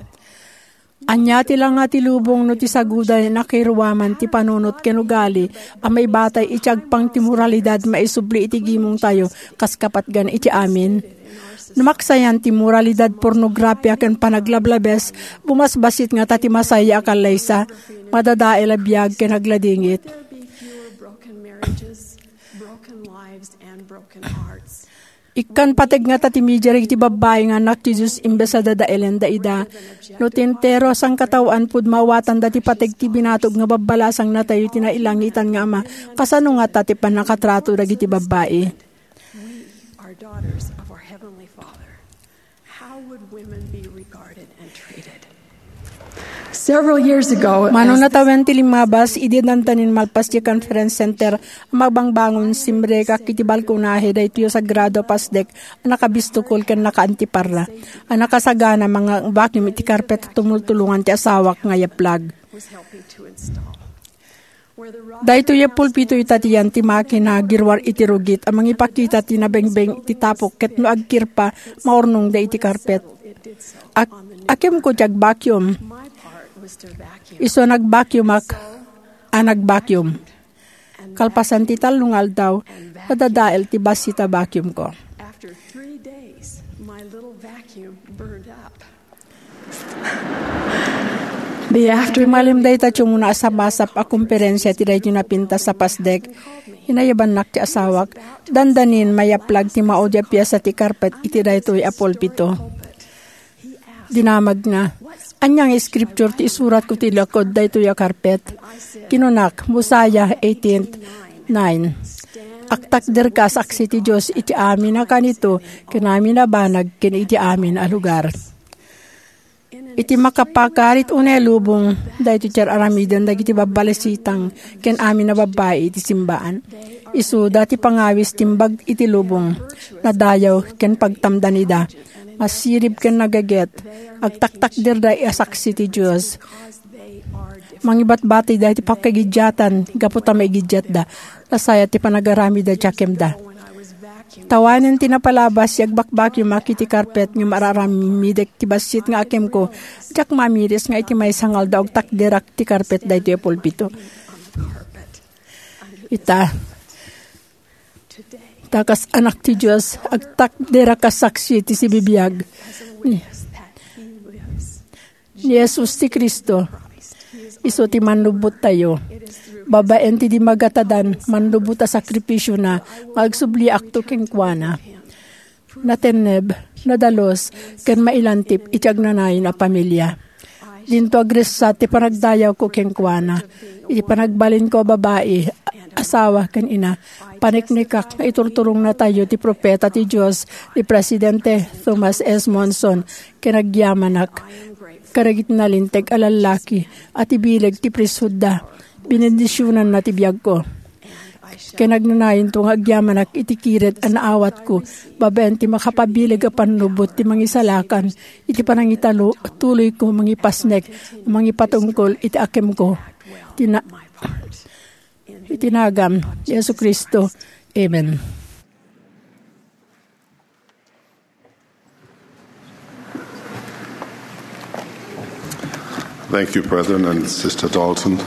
Ania ti langa ti lubong no ti saguday nakairuaman ti panunot ken ugali a maibatay iti agpang ti moralidad maisubli iti gimongtayo kas kapatgan iti amin? No maksayan ti moralidad, pornografia, ken panaglablabes, bumasbasit ngata ti masaya a kallaysa, madadael a biag ken agladingit. Ikkan pateg ngata ti media dagiti babbai nga annak ti Dios imbes a dadaelen daida. No ti entero a sangkataoan pud maawatanda ti pateg ti binatog nga babbalasang natayo ti nailangitan nga Ama, kasano ngata ti pannakatrato dagiti babbai? We are daughters of our Heavenly Father. How would women be regarded and treated? Several years ago, Mano as natawen ti limmabas, idi dandanin malpas ti conference center a magbangbangon, simrekak iti balkonahe daytoy a sagrado a pasdek a nakabistukol ken nakaantiparra a nakasagana manga-vacuum iti karpet a tumultulongan ti asawak nga yaplag. Daytoy a pulpito ita ti yan ti makina a girwar iti rugit a mangipakita ti nabengbeng iti tapok ket no agkirpa, maurnongda iti karpet. Ak-, akemko ti agvacuum. Isu a nagvacuumak a nagvacuum. Kalpasan ti tallo nga aldaw, nadadael ti bassit a vacuumko. After three days, my little vacuum burned up. Malim dayta ti umuna a sapasap a komperensia ti daytoy napintas a pasdek, inayabannak ti asawak. Dandanin, mayaplag ti maudi a piasa ti karpet iti daytoy a pulpito. Dinamagna, "Ania nga scripture ti isuratko ti lakud daytoy a karpet?" Kinunak, "Mosiah eighteen nine." Agtakderka a saksi ti Dios iti amin a kanito ken amin a banag ken iti amin a lugar. Iti makapakarit unay lubong, daytoy ti ar-aramiden dagiti babbalesitang ken amin a babbai iti simbaan. Isuda ti pangawis timbag iti lubong, nadayaw ken pagtamdanida. Masirib ken nagaget, agtaktakderda a saksi ti Dios. Mangibatbatida iti pakagidiatan gapu ta maigiddiatda. Nasayaat ti panagaramid a diak kemda. Tawanen ti napalabas, agbakbakimak iti karpet ngem ar-aramidek ti bassit nga akemko. Diak mamiris nga iti maysa nga aldaw agtakderak ti karpet daytoy a pulpito. Ita, ta kas anak ti Dios, agtakderak a saksi ti sibibiag ni, ni Jesus ti Cristo. Isu ti mannubbottayo. Babaen ti di magatadan, mannubbot a sakrifisiona nga agsubliakto kenkuana. Natenneb, nadalus, ken mailantip iti agnanayon a pamilia. Dinto agressat ti panagdayawko kenkuana. Iti panagbalinko a babai, asawa, ken ina, paniknikak nga iturturongnatayo ti profeta ti Dios, ni Presidente Thomas S. Monson, ken agyamanak kadagiti nalinteg a lallaki a ti bileg ti priesthoodda. Binendisionanna ti biagko. Ken agnanayonto nga agyamanak iti kired a naawatko babaen ti makapabileg a pannubbot ti mangisalakan iti panangitalo-, tuloyko mangipasnek, mangipatungkol iti akemko. Iti na-, iti nagan ni Jesu-Cristo. Amen. Thank you, President and Sister Dalton.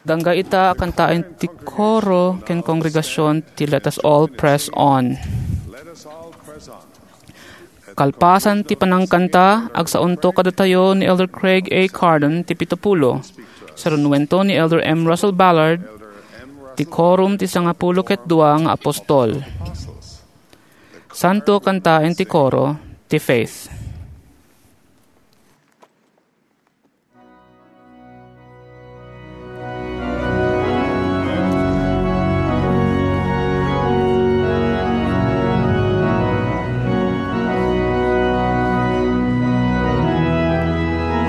Gangga ita a kantaen ti koro ken kongregasion ti Let Us All Press On. Kalpasan ti panangkanta, agsaonto kadatayo ni Elder Craig A. Cardon ti pitupulo. Sarunuento ni Elder M. Russell Ballard ti Quorum ti Sangapulo ket Dua nga Apostol. Santo kantaen ti koro ti Faith.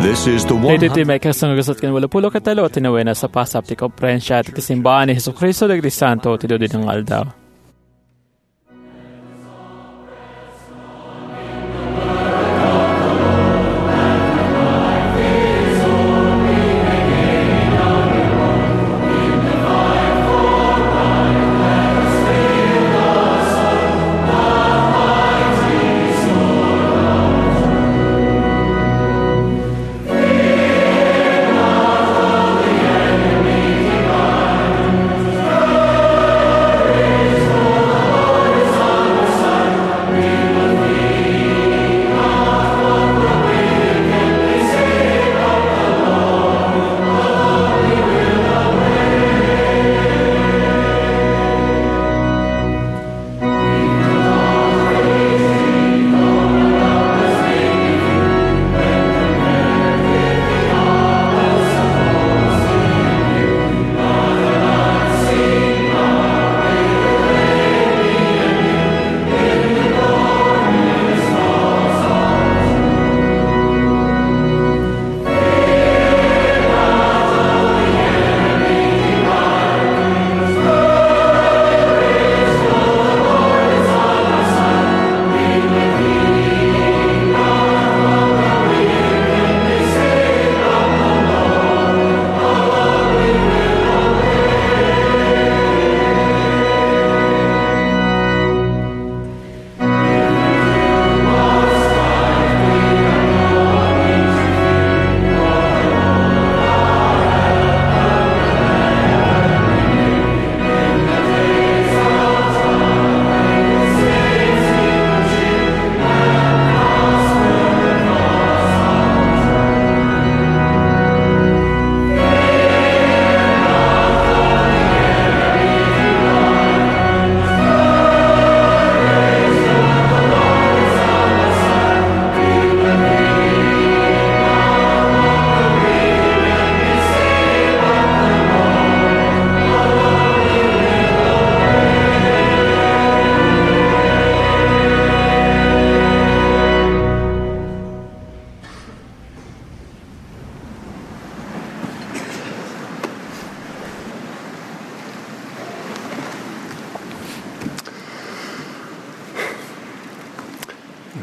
This is the one hundred. Daytoy ti maikasangag ket walupulo ket tallo ti nawena a pasap ti Konferensia ti Simbaan ni Jesu-Cristo dagiti Santo ti Dudi nga Aldaw.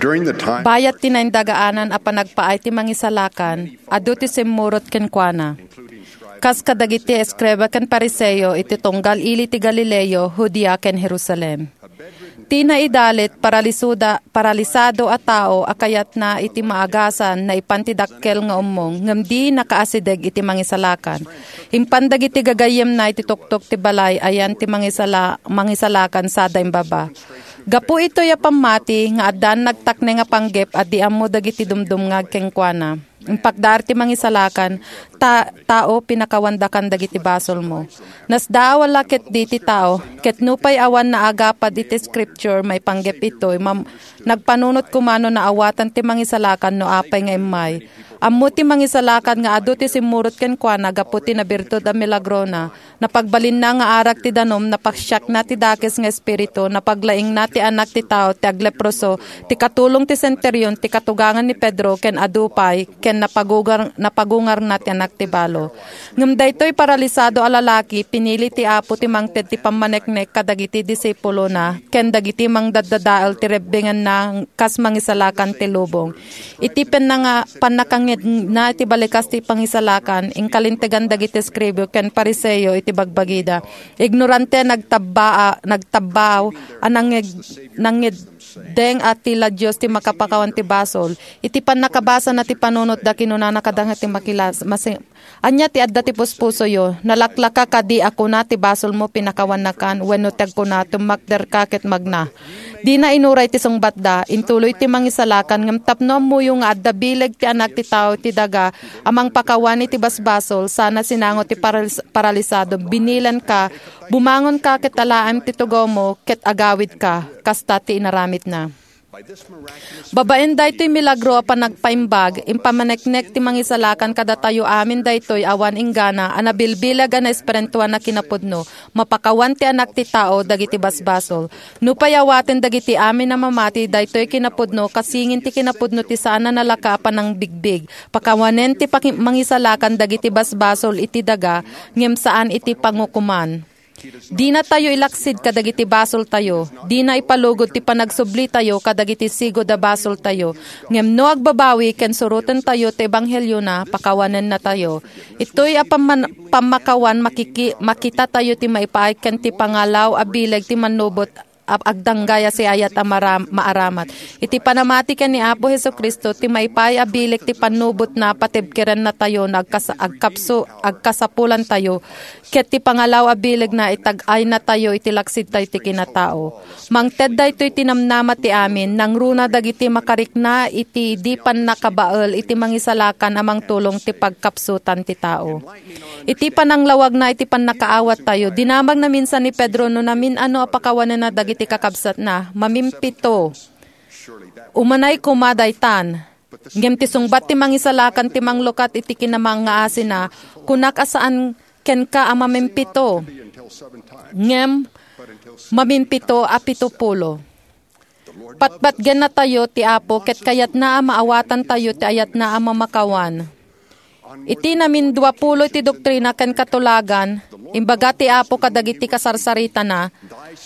During the time Bayat ti naindagaanan a panagpaay ti Mangisalakan, adu ti simmurot kenkuana. Kas kadagiti eskreba ken Fariseo iti tunggal ili ti Galileo, Judea, ken Jerusalem. Ti naidalit, paralisuda, paralisado a tao a kayatna iti maagasan, naipan ti dakkel nga ummong, ngem di nakaasideg iti Mangisalakan. Impan dagiti gagayyemna iti tuktok ti balay, ayan ti mangisala-, Mangisalakan sada imbaba. Gapu itoy a pammati nga addan nagtakneng a panggep a di ammo dagiti dumdumngag kenkuana. Impakdaar ti Mangisalakan, ta-, tao, pinakawandakan dagiti basolmo. Nasdaaw a la ketdi ti tao, ket nupay awan naagapad iti Scripture maipanggep itoy, mam-, nagpanunot koma no naawatan ti Mangisalakan no apay nga immay. Ammo ti Mangisalakan nga adu ti simmurot kenkuana gapu ti nabirtud a milagrona. Napagbalinna nga arag ti danum, napasiakna ti dakes nga espiritu, napaglaingna ti anak ti tao ti agleproso, ti katulong ti senterion, ti katugangan ni Pedro, ken adu pay, ken napagugar-, napagungarna ti anak ti balo. Ngem daytoy paralisado a lalaki, pinili ti Apo ti mangted ti pammaneknek kadagiti disipulona, ken dagiti mangdaddadael ti rebbengenna kas mangisalakan ti lubong. Iti pannanga-, pannakangngegna iti balikas ti Pangisalakan, inkalintegan dagiti eskribao ken Fariseo iti bagbagida. Ignorante, nagtabbaa-, nagtabbaaw a nangngeg-, nangngeddeng a ti la Dios ti makapakawan ti basol. Iti pannakabasana ti panunotda, kinunana kadagiti makilas-, masi-, Ania ti adda ti puspusoyo? Nalaklaka kadi a kuna ti basolmo pinakawannakan wenno ti agkuna, tummakderka ket magna? Dina inuray ti sungbatda. Intuloy ti Mangisalakan, ngem tapno ammoyo nga adda bileg ti Anak ti Tao iti daga a mangpakawan iti basbasol, sana sinango ti paralis-, paralisado, "Binilenka, bumangonka ket alaem ti tugawmo ket agawidka." Kasta ti inaramidna. Babaen daytoy milagro a panagpaimbag, impamaneknek ti Mangisalakan kadatayo amin daytoy awan inggana a nabilbileg a naespirituan a kinapudno, mapakawan ti Anak ti Tao dagiti basbasol. Nupay awaten dagiti amin a mamati daytoy kinapudno, kasingin ti kinapudno ti saan a nalaka a panangbigbig, pakawanen ti paki-, Mangisalakan dagiti basbasol iti daga, ngem saan iti pangukoman. Dinatayo ilaksid kadagiti basoltayo. Dina ipalugod ti panagsublitayo kadagiti sigud a basoltayo. Ngem no agbabawi ken surotentayo ti ebangheliona, pakawanennatayo. Itoy a pamman-, pammakawan makiki-, makitatayo ti maipaay ken ti pangalaw a bileg ti mannubot a agdanggay a siayat a maram-, maaramat. Iti panamati ken ni Apo Jesu-Cristo, ti maipaay a bileg ti pannubotna, patibkerennatayo no agkas-, agkapsu-, agkasapulantayo, ket ti pangalaw a bilegna, itag-aynatayo iti laksidtayo ti kinatao. Mangted daytoy ti namnama ti amin, nangruna dagiti makarikna iti di pannakabael iti Mangisalakan a mangtulong ti pagkapsutan ti tao. Iti pananglawagna iti pannakaawattayo, dinamagna minsan ni Pedro no namin-ano a pakawanenna dagiti kakabsatna. Mamimpito. Umanay koma daytan. Ngem ti sungbat ti Mangisalakan ti manglukat iti kinamangngaasina, kunak a saan kenka a mamimpito, ngem mamimpito a pitopulo. Patpatgennatayo ti Apo ket kayatna a maawatantayo ti ayatna a mamakawan. Iti naminduapulo iti Doktrina ken Katulagan, imbaga ti Apo kadagiti kasarsaritana,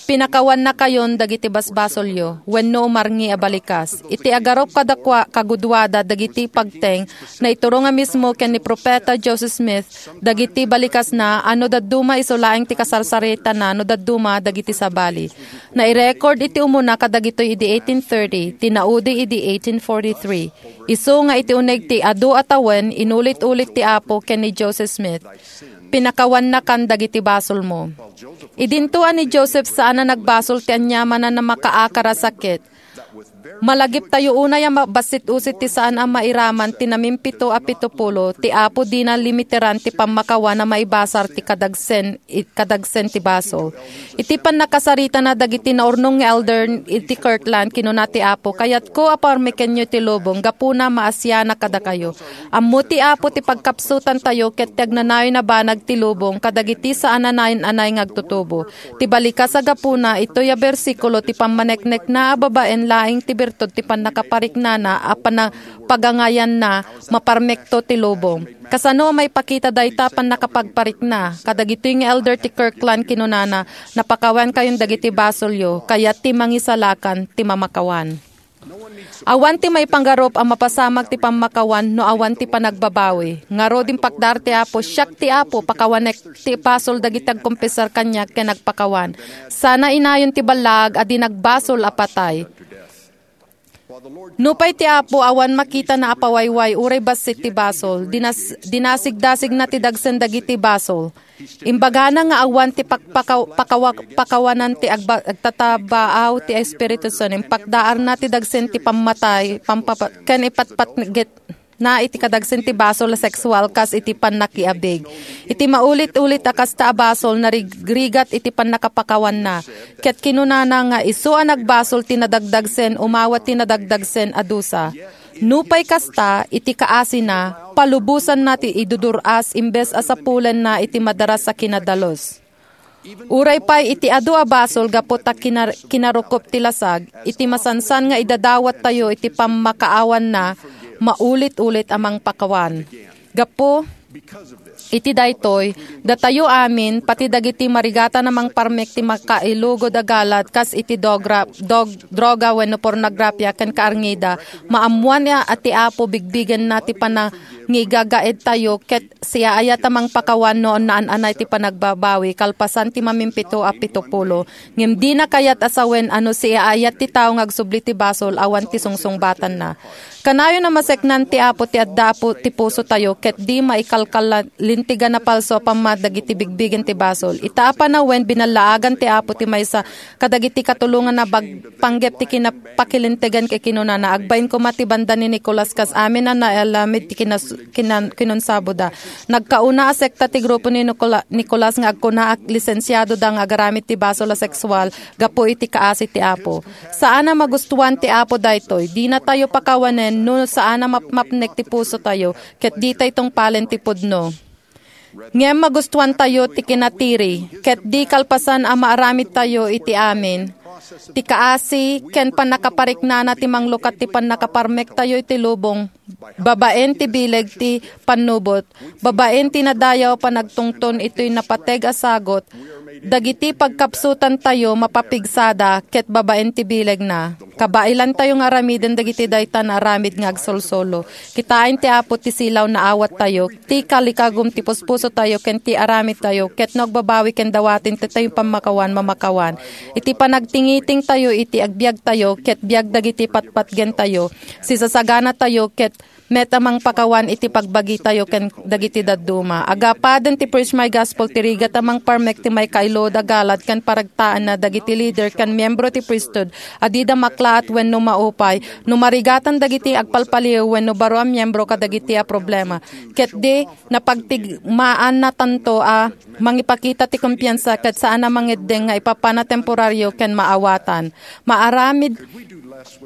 "Pinakawannakayon dagiti basbasolyo, wenno umarngi a balikas." Iti agarup kadakua, kaguduada dagiti pagteng, naiturong a mismo ken ni Profeta Joseph Smith dagiti balikasna a no dadduma isu laeng ti kasarsaritana no dadduma dagiti sabali. Nairecord iti umuna kadagitoy idi eighteen thirty, tinaudi idi eighteen forty-three. Isu nga iti uneg ti adu a tawen, inulit-ulit ti Apo ken ni Joseph Smith, "Pinakawannakan dagiti basolmo." Idinto a ni Joseph saan a nagbasol ti aniamanna a makaakar a sakit. Malagiptayo unay a mabassit-usit ti saan a mairaman ti namimpito a pitopulo, ti Apo dina limiteran ti pammakawan a maibasar ti kadagsen, i-, kadagsen ti basol. Iti pannakasaritana dagiti naurnong nga elder iti Kirtland, kinuna ti Apo, "Kayatko a parmekenyo ti lubong, gapuna maasianak kadakayo." Ammo ti Apo ti pagkapsutantayo ket ti agnanayon a banag ti lubong kadagiti saan a nayan-anay nga agtutubo. Ti balikas a gapuna, itoy a bersikulo ti pammaneknekna a babaen laeng ti birtud ti pannakapariknana a pana-, pagangayanna, maparmekto ti lubong. Kasano a maipakita dayta a pannakapagparikna? Kadagitoy nga elder ti Kirtland kinunana, "Napakawankayon dagiti basolyo, kayat ti Mangisalakan ti mamakawan." Awan ti maipanggarup a mapasamak ti pammakawan no awan ti panagbabawi. Ngarud, impakdaar ti Apo, "Siak ti Apo, pakawanek ti basol dagiti agkonfesar kaniak ken agpakawan. Sana inayon ti ballaag a di nagbasol a patay." Nupay ti Apo awan makitana a pawayway uray bassit ti basol, dinas-, dinasigdasigna ti dagsen dagiti basol. Imbagana nga awan ti pakpakaw-, pakawa-, pakawanan ti agba-, agtatabaaw ti Espiritu Santo. Impakdaarna ti dagsen ti pammatay, pampapa-, ken ipatpatgetna iti kadagsen ti basol a sexual kas iti pannakiabig. Iti maulit-ulit a kasta a basol, narigrigat iti pannakapakawanna. Ket kinunana nga isu a nagbasol ti nadagdagsen, umawat ti nadagdagsen a dusa. Nupay kasta, iti kaasina, palubosanna ti idudur-as imbes a sapulenna iti madaras a kinadalus. Uray pay iti adu a basol gapu ta kinar-, kinarukop ti lasag, iti masansan nga idadawattayo iti pammakaawanna, maulit-ulit a mangpakawan. Gapu iti daytoy, datayo amin, pati dagiti marigatan a mangparmek ti makailugod a galad kas iti dogra-, dog-, droga wenno pornografia ken kaarngida, maammoan a, a ti Apo bigbigenna ti panangigagaedtayo ket siaayat a mangpakawan no naan-anay ti panagbabawi kalpasan ti mamimpito a pito pulo. Ngem dina kayat a sawen a no siaayat ti tao nga agsubli ti basol, awan ti sungsungbatanna. Kanayon a maseknan ti Apo ti adda a pu-, ti pusotayo, ket di maikalkalintegan a palso a pammati dagiti bigbigen ti basol. Ita a panawen, binallaagan ti Apo ti maysa kadagiti katulonganna bag-, panggep ti kinapakilintegan ket kinunana, "Agbain koma ti banda ni Nicolas kas amin a naaramid ti kinas-, kinan-, kinunsaboda." Nagkauna a sekta ti grupo ni Nicola-, Nicolas nga agkuna a lisensiadoda nga agaramid ti basol a sexual gapu iti kaasi ti Apo. Saan a magustuan ti Apo daytoy. Dinatayo pakawanen no saan a mapmapnek ti pusotayo ket ditay tungpalen ti pudno. Ngem magustuantayo ti kinatiri, ket di kalpasan a maaramidtayo iti amin ti kaasi ken pannakapariknana ti manglukat ti pannakaparmektayo iti lubong, babaen ti bileg ti pannubot, babaen ti nadayaw a panagtungton itoy napateg a sagut, dagiti pagkapsutantayo mapapigsada ket babaen ti bilegna. Kabailantayo nga aramiden dagiti dayta nga aramid nga agsolsolo. Kitaen ti Apo ti silaw nga awattayo, ti kalikagum ti puspusotayo ken ti aramidtayo, ket no agbabawi ken dawaten ti tayo pammakawan, mamakawan. Iti panagtingitingtayo iti agbiagtayo ket biag dagiti patpatgentayo, sisasaganatayo ket met a mangpakawan iti pagbagitayo ken dagiti dadduma. Agapaden ti Preach My Gospel ti rigat a mangparmek ti maikailud a galad ken paragtaenna dagiti lider ken miembro ti priesthood a dida maklaat wenno maupay. No marigatan dagiti agpalpaliw wenno baro a miembro kadagiti a problema, ket di napagtigmaannatanto a mangipakita ti kumpiansa ket saan a mangeddeng nga ipapana temporario ken maawatan. Maaramid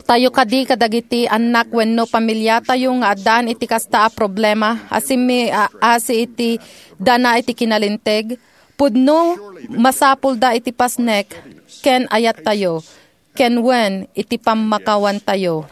tayo kadi kadagiti annak wenno pamiliatayo nga addaan iti kasta a problema a simmi-, a-, asi iti dana iti kinalinteg? Pudno, masapulda iti pasnek ken ayattayo, ken wen iti pammakawantayo.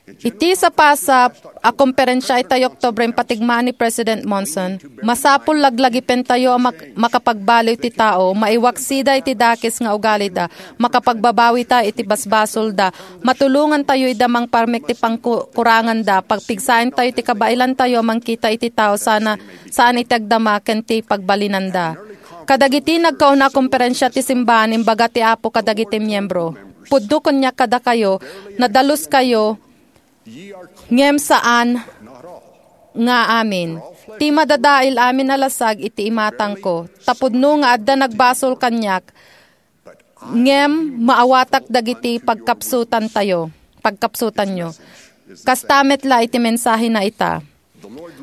Iti sapasap a komperensia iti Oktubre, impatigmaan ni President Monson, masapul laglagipentayo a mak-, makapagbaliw ti tao, maiwaksida iti dakes nga ugalida, makapagbabawita iti basbasolda, matulongantayo ida mangparmek ti pangku-, kuranganda, pagpigsaentayo ti kabailantayo a mangkita iti tao sana, saan iti agdama ken ti pagbalinanda. Kadagiti nagkauna a komperensia ti simbahan, imbaga ti Apo kadagiti miembro, "Pudno kaniak kadakayo, nadaluskayo, ngem saan nga amin. Ti madadael amin a lasag iti imatangko. Ta pudno nga adda nagbasol kaniak, ngem maawatak dagiti pagkapsutantayo, pagkapsutanyo." Kasta met la iti mensahena ita.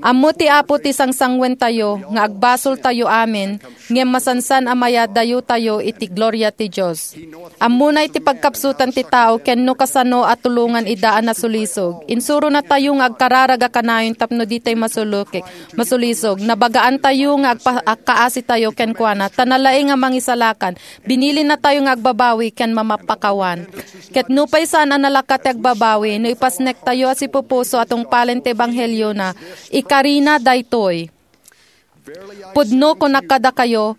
Ammo ti Apo ti sangsangwentayo nga agbasoltayo amin, ngem masansan a mayadayotayo iti gloria ti Dios. Ammona iti pagkapsutan ti tao ken no kasano a tulongan ida a nasulisog. Insuronatayo nga agkararag a kanayon tapno ditay masulukik, masulisog. Nabagaantayo nga agpa-, agkaasitayo kenkuana, ta nalaing a mangisalakan. Binilinatayo nga agbabawi ken mamapakawan. Ket nupay saan a nalaka ti agbabawi, no ipasnektayo a sipupuso a tungpalen ti ebangheliona, ikarina daytoy. Pudno kunak kadakayo,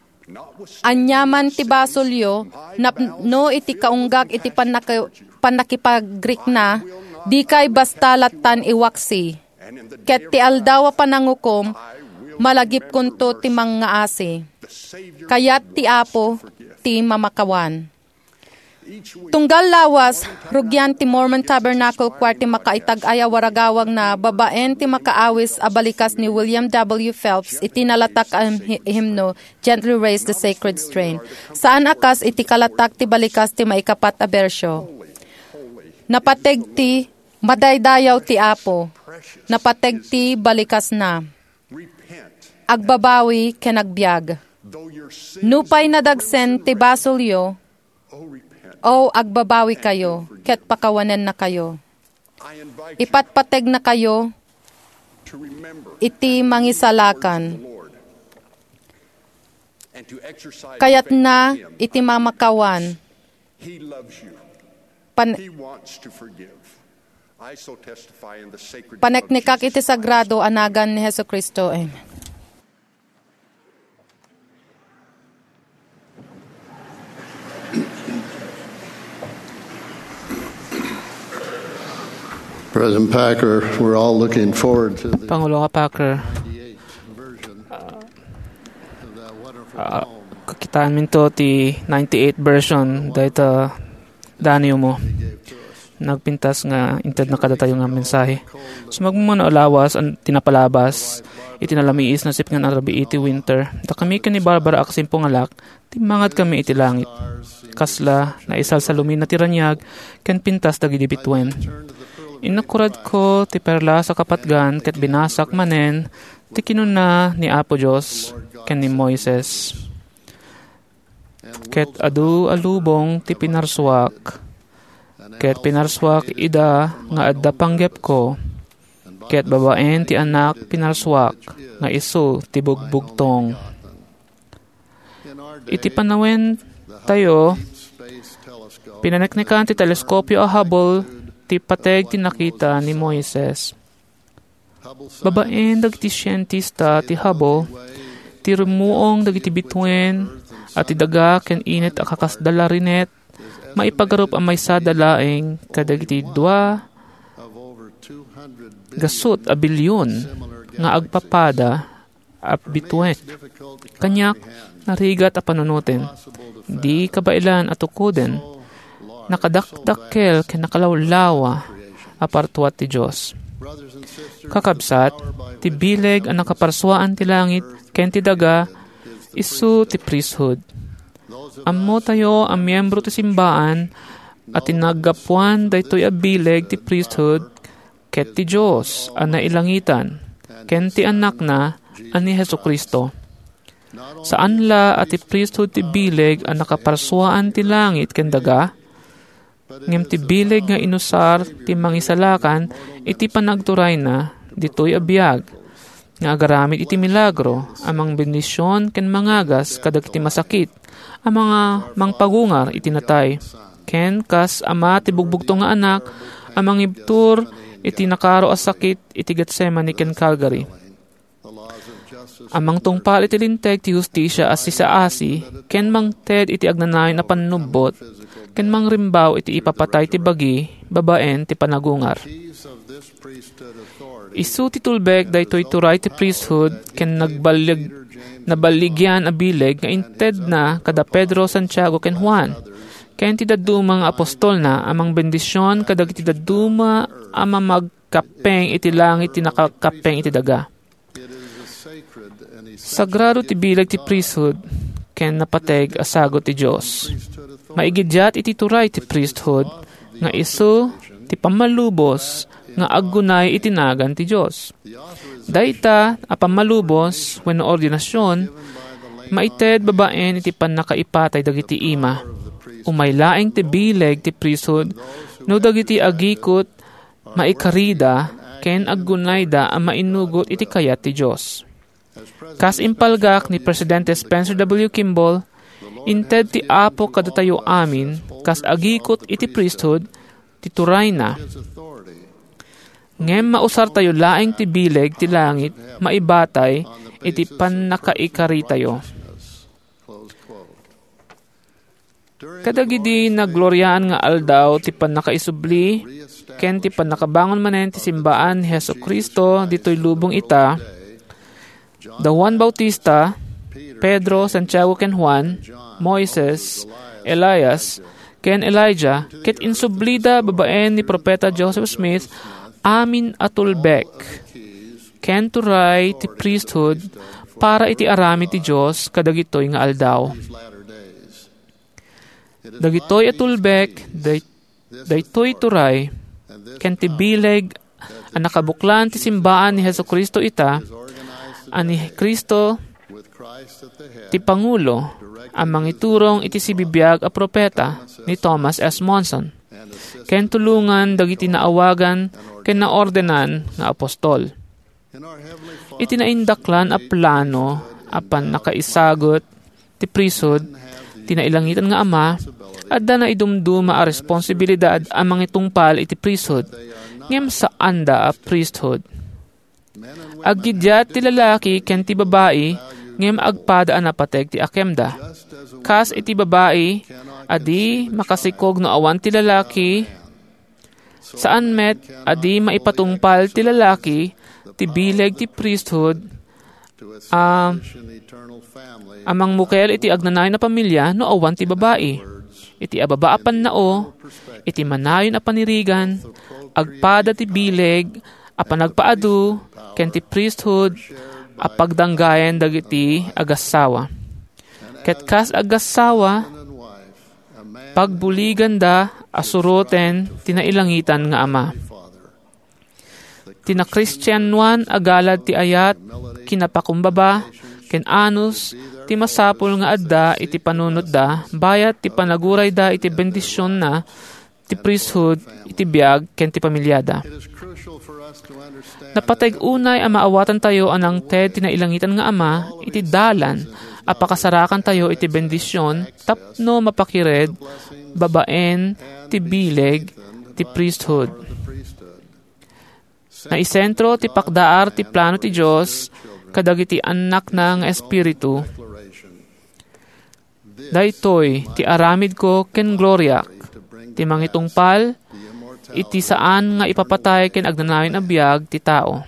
aniaman ti basolyo, napno iti kaunggak iti pannaka-, pannakipagrikna, dikay basta lattan iwaksi. Ket ti aldaw a panangukom, malagipkonto ti mangngaasi. Kayat ti Apo ti mamakawan. Tunggal lawas, rugian ti Mormon Tabernacle Choir ti makaitag-ay a waragawagna babaen ti makaawis a balikas ni William W. Phelps iti nalatak a him-, himno, Gently Raise the Sacred Strain. Saan a kas iti kalatak ti balikas ti maikapat a bersio. Napateg ti madaydayaw ti Apo. Napateg ti balikasna. Agbabawi ken agbiag. Nupay nadagsen ti basolyo, O, agbabawi kayo, ket pakawanennakayo. Ipatpategnakayo iti mangisalakan. Kayatna iti mamakawan. Pan-, paneknekak iti sagrado a nagan ni Jesu-Cristo. Amen. President Packer, we're all looking forward to the Pangulo nga Packer, ninety-eighth version of that wonderful ah, poem. Kakitaenminto ti ninety-eight version dayta danewmo. Nagpintas nga intedna kadatayo nga mensahe. Sumagmamano a lawas ti napalabas iti nalamiis nga sipngan a rabii ti winter. Dakami ken ni Barbara a kasimpungalak, timmangadkami iti langit. Kasla naisalsalumina ti raniag ken pintas dagiti bituen. Innakuradko ti perlas a kapatgan ket binasak manen ti kinuna ni Apo Dios ken ni Moises. Ket adu a lubong ti pinarsuak, ket pinarsuak ida nga adda panggepko, ket babaen ti Anak pinarsuak nga isu ti bugbugtong. Iti panawentayo, pinaneknekan ti teleskopio a Hubble ti pateg ti nakita ni Moises. Babaen dagiti sientista ti Hubble, ti rummuong dagiti bituen a ti daga ken init a kakasda larinet maipagarup a maysada laeng kadagiti dua gasut a bilion nga agpapada a bituen. Kaniak, narigat a panunoten. Di kabaelan a tukoden. Nakadakdakkel ken nakalawlawa a partuat ti Dios. Kakabsat, ti bileg a nakaparsuaan ti langit ken ti daga, isu ti priesthood. Ammotayo a miembro ti simbaan a ti naggapuan daytoy a bileg ti priesthood ket ti Dios a nailangitan, ken ti Anakna a ni Jesu-Cristo. Saan la a ti priesthood ti bileg a nakaparsuaan ti langit ken daga, ngem ti bileg nga inusar ti Mangisalakan iti panagturayna ditoy a biag, nga agaramid iti milagro a mangbendision ken mangagas kadagiti masakit, a manga-, mangpagungar iti natay. Ken kas Ama ti bugbugtong nga Anak a mangibtur iti nakaro a sakit iti Getsemani ken Calvary. A mangtungpal iti linteg ti hustisia a sisaasi ken mangted iti agnanayon a pannubbot ken mangrimbaw iti ipapatay ti bagi babaen ti panagungar. Isu ti tulbek daytoy turay ti priesthood ken nagballig-, naballigian a bileg nga intedna kada Pedro, Santiago, ken Juan, ken ti dadduma nga apostolna a mangbendision kadagiti dadduma a mamagkappeng iti langit ti nakakappeng iti daga. Sagrado ti bileg ti priesthood ken napateg a sagut ti Dios. Maigidiat iti turay ti priesthood nga isu ti pammalubos nga aggunay iti nagan ti Dios. Dayta a pammalubos wenno ordinasion, maited babaen iti pannakaipatay dagiti ima. Umay laeng ti bileg ti priesthood no dagiti agikut maikarida ken aggunayda a mainnugot iti kayat ti Dios. Kas impalgak ni Presidente Spencer W. Kimball, inted ti Apo kadatayo amin kas agikut iti priesthood ti turayna. Ngem mausartayo laeng ti bileg ti langit maibatay iti pannakaikaritayo. Kadagidi naggloriaan nga aldaw ti pannakaisubli ken ti pannakabangon manen ti simbaan ni Jesu-Cristo ditoy lubong ita, da Juan Bautista, Pedro, Santiago ken Juan, Moises, Elias, ken Elijah, ket insublida babaen ni Profeta Joseph Smith amin a tulbek ken turay ti priesthood para iti aramid ti Dios kadagitoy nga aldaw. Dagitoy a tulbek, day-, daytoy turay, ken ti bileg a nakabuklan ti simbaan ni Jesu-Cristo ita, a ni Cristo ti pangulo a mangiturong iti sibibiag a profeta ni Thomas S. Monson, ken tulongan dagiti naawagan ken naordenan nga apostol. Iti naindaklan a plano a pannakaisagut ti priesthood, ti nailangitan nga Ama, adda naidumduma a responsibilidad a mangitungpal iti priesthood, ngem saanda a priesthood. Aggiddiat ti lalaki ken ti babai, ngem agpada a napateg ti akemda. Kas iti babai a di makasikog no awan ti lalaki, saan met a di maipatungpal ti lalaki ti bileg ti priesthood a, a mangmukel iti agnanayon a pamilia no awan ti babai. Iti ababa a pannao, iti manayon a panirigan, agpada ti bileg a panagpaadu ken ti priesthood a pagdanggayen dagiti agassawa. Ket kas agassawa, pagbuliganda a suroten ti nailangitan nga Ama. Ti nakristianoan a galad ti ayat, kinapakumbaba, ken anus ti masapul nga adda iti panunotda bayat ti panagurayda iti bendisionna ti priesthood iti biag ken ti pamiliada. Napateg unay a maawatantayo a nangted ti nailangitan nga Ama iti dalan a pakasarakantayo iti bendision tapno mapakired babaen ti bileg ti priesthood. Naisentro ti pakdaar ti plano ti Dios kadagiti annakna nga espiritu. Daytoy ti aramidko ken gloriak, ti mangitungpal iti saan nga ipapatay ken agnanayon a biag ti tao.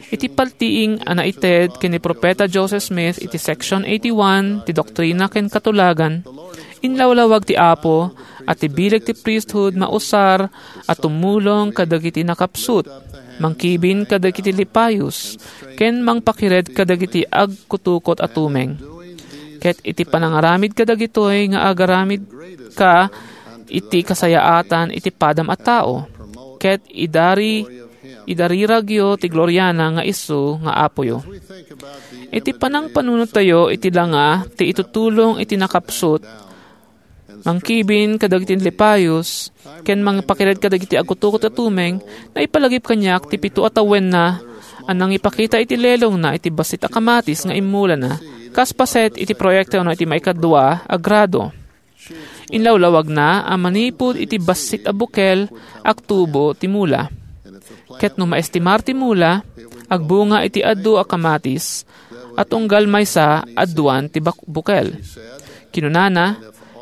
Iti paltiing a naited ken ni Profeta Joseph Smith iti Section eighty-one ti Doktrina ken Katulagan, inlawlawag ti Apo a ti bileg ti priesthood mausar a tumulong kadagiti nakapsut, mangkibin kadagiti lipayos, ken mangpakired kadagiti agkutukot a tumeng. Ket iti panangaramid kadagitoy nga agaramidka iti kasayaatan iti padam a tao, ket idari, idariragyo ti gloriana nga isu nga Apoyo. Iti panangpanunottayo iti langa ti itutulong iti nakapsut, mangkibin kadagiti lipayos, ken mangpakired kadagiti agkutukot a tumeng, naipalagip kaniak ti pito a tawenna a nangipakita iti lelongna iti bassit a kamatis nga immulana, kas paset iti proyekto no iti maikadua a grado. Inlawlawagna a manipud iti bassit a bukel, agtubo ti mula. Ket no maestimar ti mula, agbunga iti adu a kamatis, a tunggal maysa aduan ti bak-, bukel. Kinunana,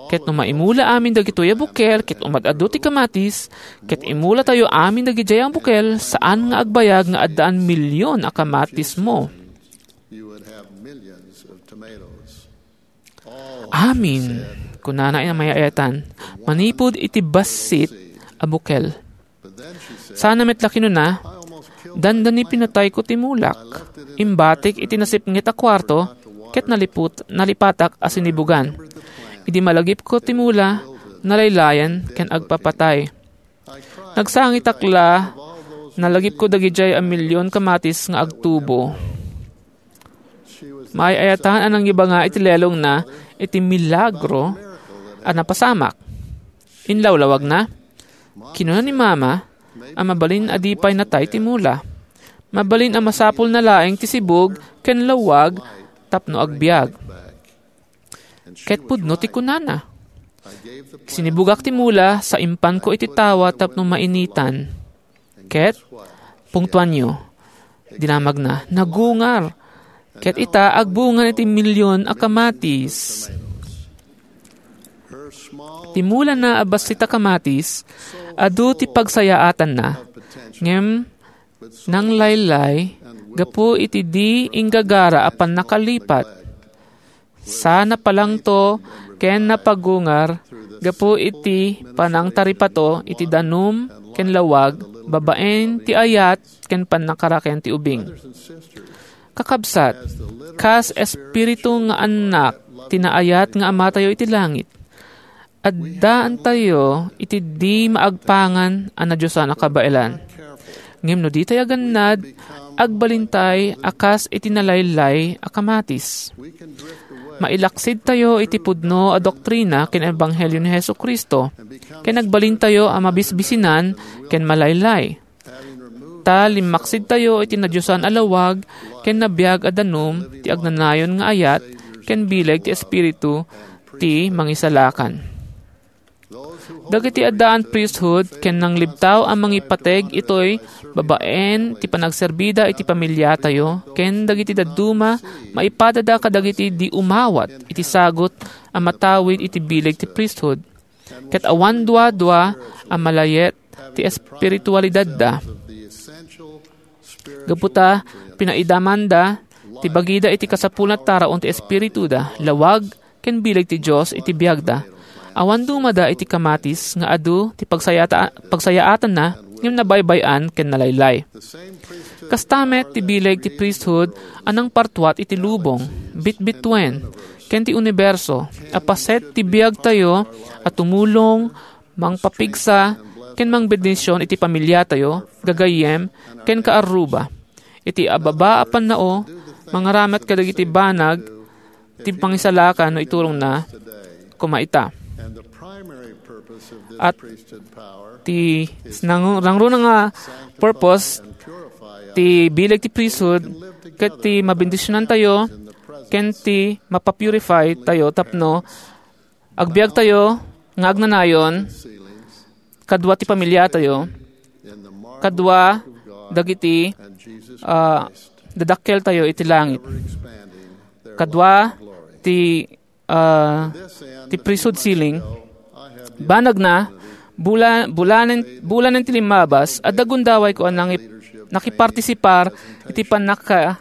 "Ket no maimula amin dagitoy a bukel ket umad-adu ti kamatis, ket imulatayo amin dagidiay a bukel, saan nga agbayag nga addaan milyon a kamatismo." "Amin," kunana a mayayatan, "manipud iti bassit a bukel." Sana met la kinuna, "Dandani pinatayko ti mulak. Imbatik iti nasipnget a kuarto, ket naliput-, nalipatak a sinibugan. Idi malagipko ti mula, nalaylayan ken agpapatay. Nagsangitak la, nalagipko dagidiay a milyon kamatis nga agtubo." Maay-ayatan a nangibanga iti lelongna iti milagro a napasamak. Inlawlawagna, kinuna ni Mama a mabalin a di pay natay ti mula. Mabalin a masapulna laeng ti sibug ken lawag tapno agbiag. Ket pudno ti kunana, "Sinibugak ti mula sa impanko iti tawa tapno mainitan." Ket, pungtoanyo, dinamagna, nagungar. Ket ita, agbunga iti milyon a kamatis. Ti mulana a bassit a kamatis, adu ti pagsayaatanna. Ngem nanglaylay gapu iti di inggagara a pannakalipat. Sa napalangto ken napagungar gapu iti panangtaripato iti danum ken lawag babaen ti ayat ken pannakaraken ti ubing. Kakabsat, kas espiritu nga annak ti naayat nga Amatayo iti langit, addaantayo iti di maagpangan a nadiosan a kabaelan. Ngem no ditay agannad, agbalintay a kas iti nalaylay a kamatis. Mailaksidtayo iti pudno a doktrina ken ebanghelio ni Jesu-Cristo, ken agbalintayo a mabisbisinan ken malaylay. Ta limmaksidtayo iti nadiosan a lawag ken nabiag a danum ti agnanayon nga ayat ken bileg ti Espiritu ti Mangisalakan. Dagiti addaan priesthood ken nanglibtaw a mangipateg itoy babaen ti panagserbida iti pamiliatayo ken dagiti dadduma maipadada kadagiti di umawat iti sagut a matawid iti bileg ti priesthood. Ket awan duadua a malayet ti espiritualidadda. Gapu ta pinaidamanda ti bagida iti kasapulan a taraon ti espirituda, lawag, ken bileg ti Dios iti biagda. Awan dumada iti kamatis nga adu ti pagsayata-, pagsayaatanna ngem nabaybay-an ken nalaylay. Kasta met ti bileg ti priesthood a nangpartuat iti lubong, bitbituen, ken ti uniberso a paset ti biagtayo a tumulong, mangpapigsa, ken mangbendision iti pamiliatayo, gagayyem, ken kaarruba. Iti ababa a pannao, mangaramid kadagiti banag ti pangisalakan no iturongna koma ita. At ti nang-, nangruna nga purpose ti bileg ti priesthood ket ti mabendisionantayo ken ti mapapurify tayo tapno agbiagtayo nga agnanayon kadua ti pamiliatayo, kadua dagiti, ah, dadakkeltayo iti langit, kadua ti, ah, ti priesthood ceiling. Banagna, bula-, bulanen, bulanen ti limmabas, adda gundawayko a nangi-, nakipartisipar iti pannaka-,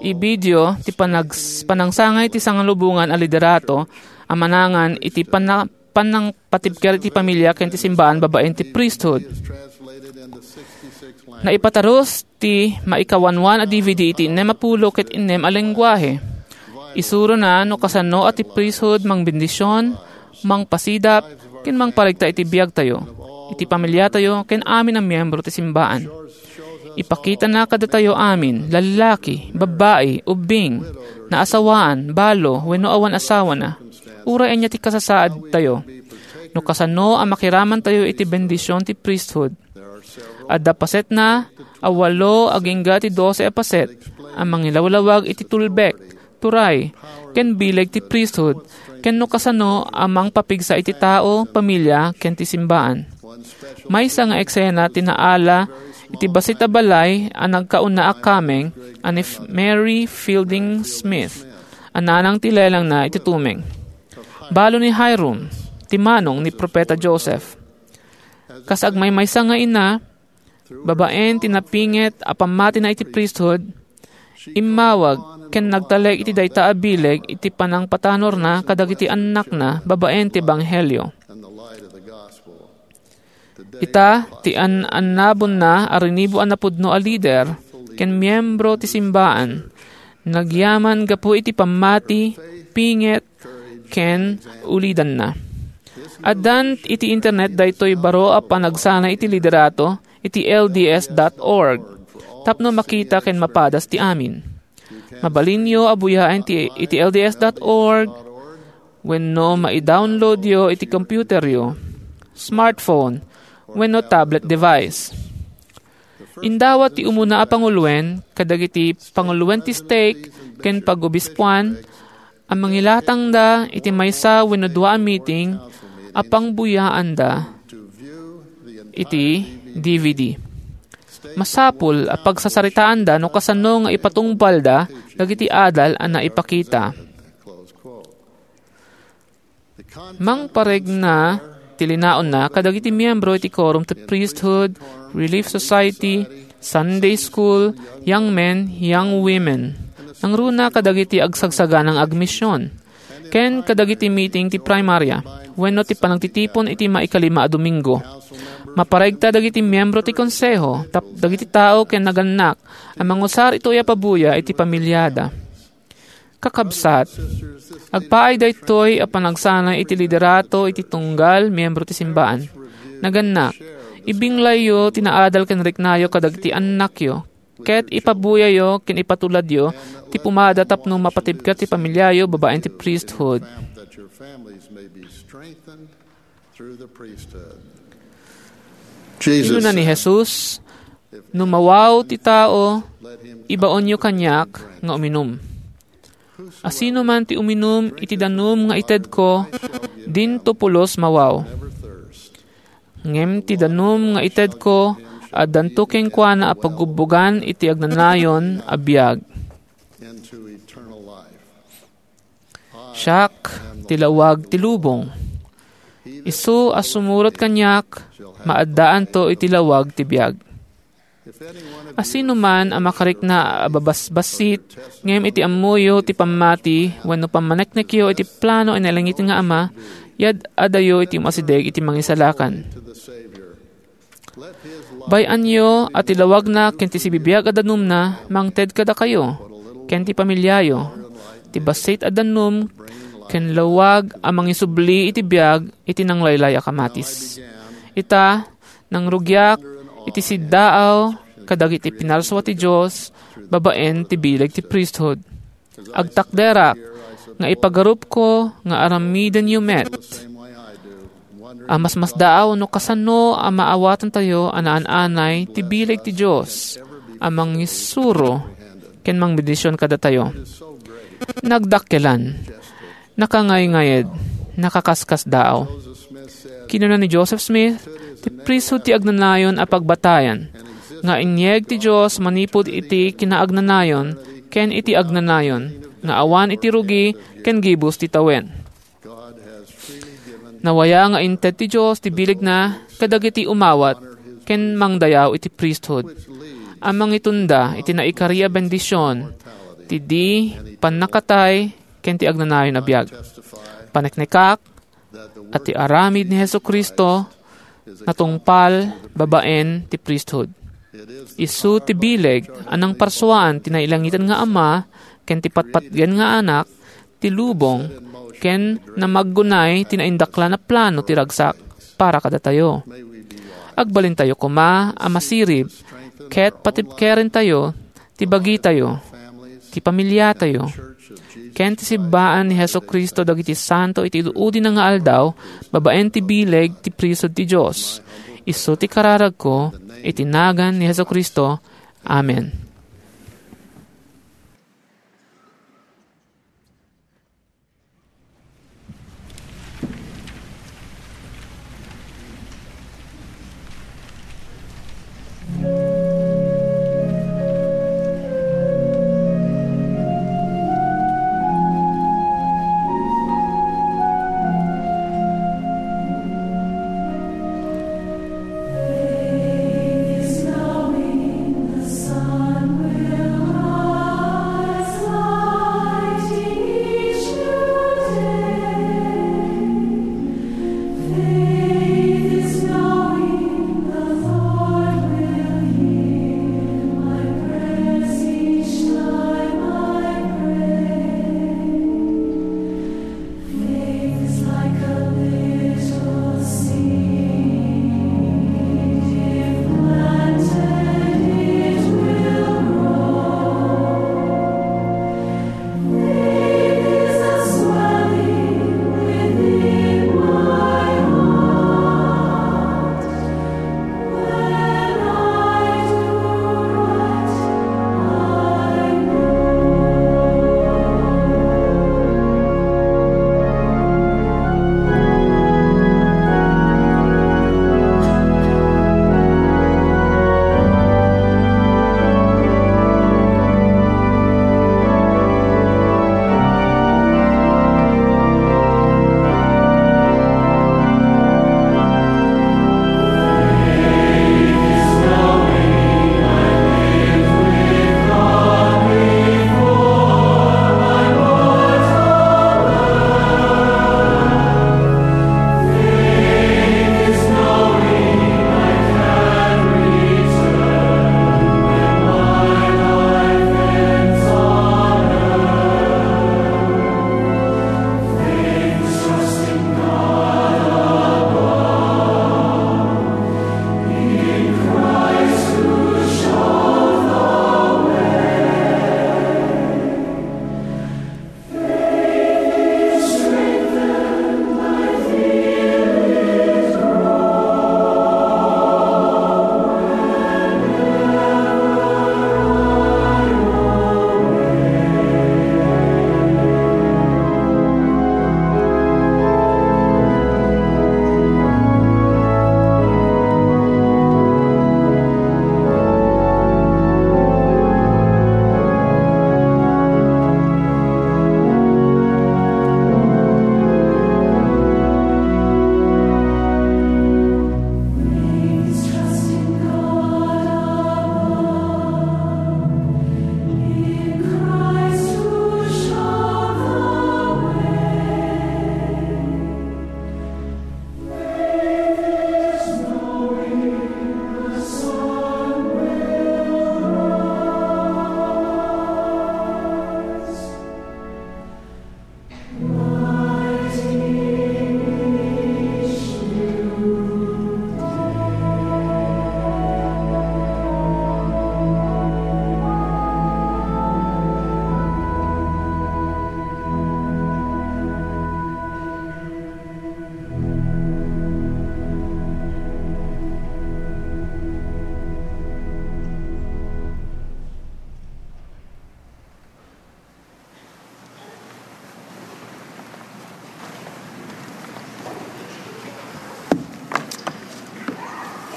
ibidio ti panag-, panangsangay ti sangalubongan a liderato a manangan iti panna-, pannangpatibker iti pamilia ken ti simbaan babaen ti priesthood. Naipatarus ti maikawanwan a D V D iti innem a pulo ket innem a lenguahe. Isurona no kasano a ti priesthood mangbendision, mangpasidap, ken mangparigta iti biagtayo, iti pamiliatayo, ken amin a miembro ti simbaan. Ipakitana kadatayo amin, lallaki, babbai, ubbing, naasawaan, balo, wenno awan asawana, uray ania ti kasasaadtayo, no kasano a makiramantayo iti bendision ti priesthood. Adda pasetna a walo agingga ti dose a paset a mangilawlawag iti tulbek, turay, ken bileg ti priesthood, ken no kasano a mangpapigsa iti tao, pamilia, ken ti simbaan. Maysa nga eksena ti naala iti bassit a balay a nagkauna a kameng a ni F-, Mary Fielding Smith a nanang ti lelangna iti tumeng. Balo ni Hyrum, ti manong ni Propeta Joseph. Kas agmaymaysa nga ina, babaen ti napinget a pammatina iti priesthood, immawag ken nagtalek iti dayta a bileg iti panangpatanorna kadagiti annakna babaen ti ebanghelio. Ita, ti an-annabonna a rinibo a napudno a lider ken miembro ti simbaan, nagyaman gapu iti pammati, pinget, ken ulidanna. Addan iti internet daytoy baro a panagsanay iti liderato iti L D S dot org tapno makita ken mapadas ti amin. Mabalinyo a buyaen ti, iti L D S dot org wenno maidownloadyo iti computeryo, smartphone, wenno tablet device. Indawat ti umuna a panguloen kadagiti panguloen ti stake ken pagobispoan a mangilatangda iti maysa wenno dua a meeting a pangbuyaanda iti D V D. Masapul a pagsasaritaanda no kasano nga ipatungpalda dagiti adal a naipakita. Mangparegna ti linaonna kadagiti miyembro iti quorum ti priesthood, Relief Society, Sunday School, Young Men, Young Women. Nangruna kadagiti agsagsaganang agmision, ken kadagiti meeting ti primarya, wenno ti panagtitipon iti maikalima a Domingo. Maparegta dagiti miyembro ti konseho, tap-, dagiti tao ken nagannak a mangusar itoy a pabuya iti pamilyada. Kakabsat, agpaay daytoy a panagsanay iti liderato iti tunggal miyembro ti simbaan. Nagannak, ibinglayyo ti naadal ken riknayo kadagiti annakyo, ket ipabuyayo ken ipatuladyo ti pumada tapno mapatibker ti pamilyayo babaen ti priesthood. Kinuna ni Jesus, "No mawaw ti tao, ibaonyo kaniak nga uminum. Asinoman ti uminum iti danum nga itedko, dinto pulos mawaw. Ngem ti danum nga itedko, addanto kenkuana a pagubbogan iti agnanayon a biag." Siak ti lawag ti lubong. Isu a sumurot kaniak, maaddaanto iti lawag ti biag. Asinoman a makarikna a babasbassit, ngem iti ammoyo ti pammati wenno pammaneknekyo iti plano a nailangit nga Ama, yad-adayo iti umasideg iti Mangisalakan. Bay-anyo a ti lawagna ken ti sibibiag a danumna mangted kadakayo ken ti pamiliayo, ti bassit a danum ken lawag a mangisubli iti biag iti nanglaylay a kamatis. Ita, nangrugiak iti siddaaw kadagiti pinarsua ti Dios babaen ti bileg ti priesthood. Agtakderak nga ipagarupko nga aramidenyo met a masmasdaaw no kasano a maawatantayo a naan-anay ti bileg ti Dios a mangisuro ken mangbendision kadatayo. Nagdakkelan, nakangayngayd, nakakaskasdaaw. Kinuna ni Joseph Smith, ti priesthood ti agnanayon a pagbatayan nga inyeg ti Dios manipud iti kinaagnanayon ken iti agnanayon nga awan iti rugi ken gibus ti tawen. Nawaya nga inted ti Dios ti bilegna kadagiti umawat ken mangdayaw iti priesthood a mangitunda iti naikari a bendision ti di pannakatay ken ti agnanayon a biag. Paneknekak a ti aramid ni Jesu-Cristo natungpal babaen ti priesthood. Isu ti bileg a nangparsuaan ti nailangitan nga Ama ken ti patpatgen nga Anak ti lubong ken namaggunay ti naindaklan a plano ti ragsak para kadatayo. Agbalintayo koma a masirib ket patibkerentayo ti bagitayo, ti pamiliatayo, ken ti sibbaan ni Jesu-Cristo dagiti santo iti ud-udina nga aldaw babaen ti bileg ti priesthood ti Dios. Isu ti kararagko iti nagan ni Jesu-Cristo. Amen.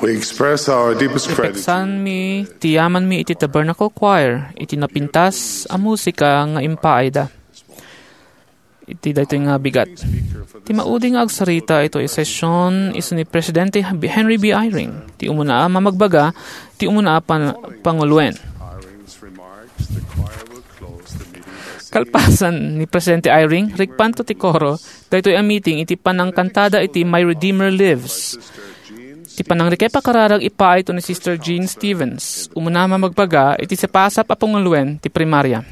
We express our deepest gratitude. Ipeksanmi ti yamanmi iti Tabernacle Choir iti napintas a musika nga impaayda iti daytoy nga bigat. Ti maudi nga agsarita itoy a session isu ni Presidente Henry B. Eyring, ti umuna a mamagbaga, ti umuna a pan-, panguloen. Kalpasan ni Presidente Eyring, rikpanto ti koro daytoy a meeting iti panangkantada iti My Redeemer Lives. Ti panangrikrek a kararag ipaayto ni Sister Jean Stevens, umuna a mamagbaga iti sapasap a panguloen ti primaria.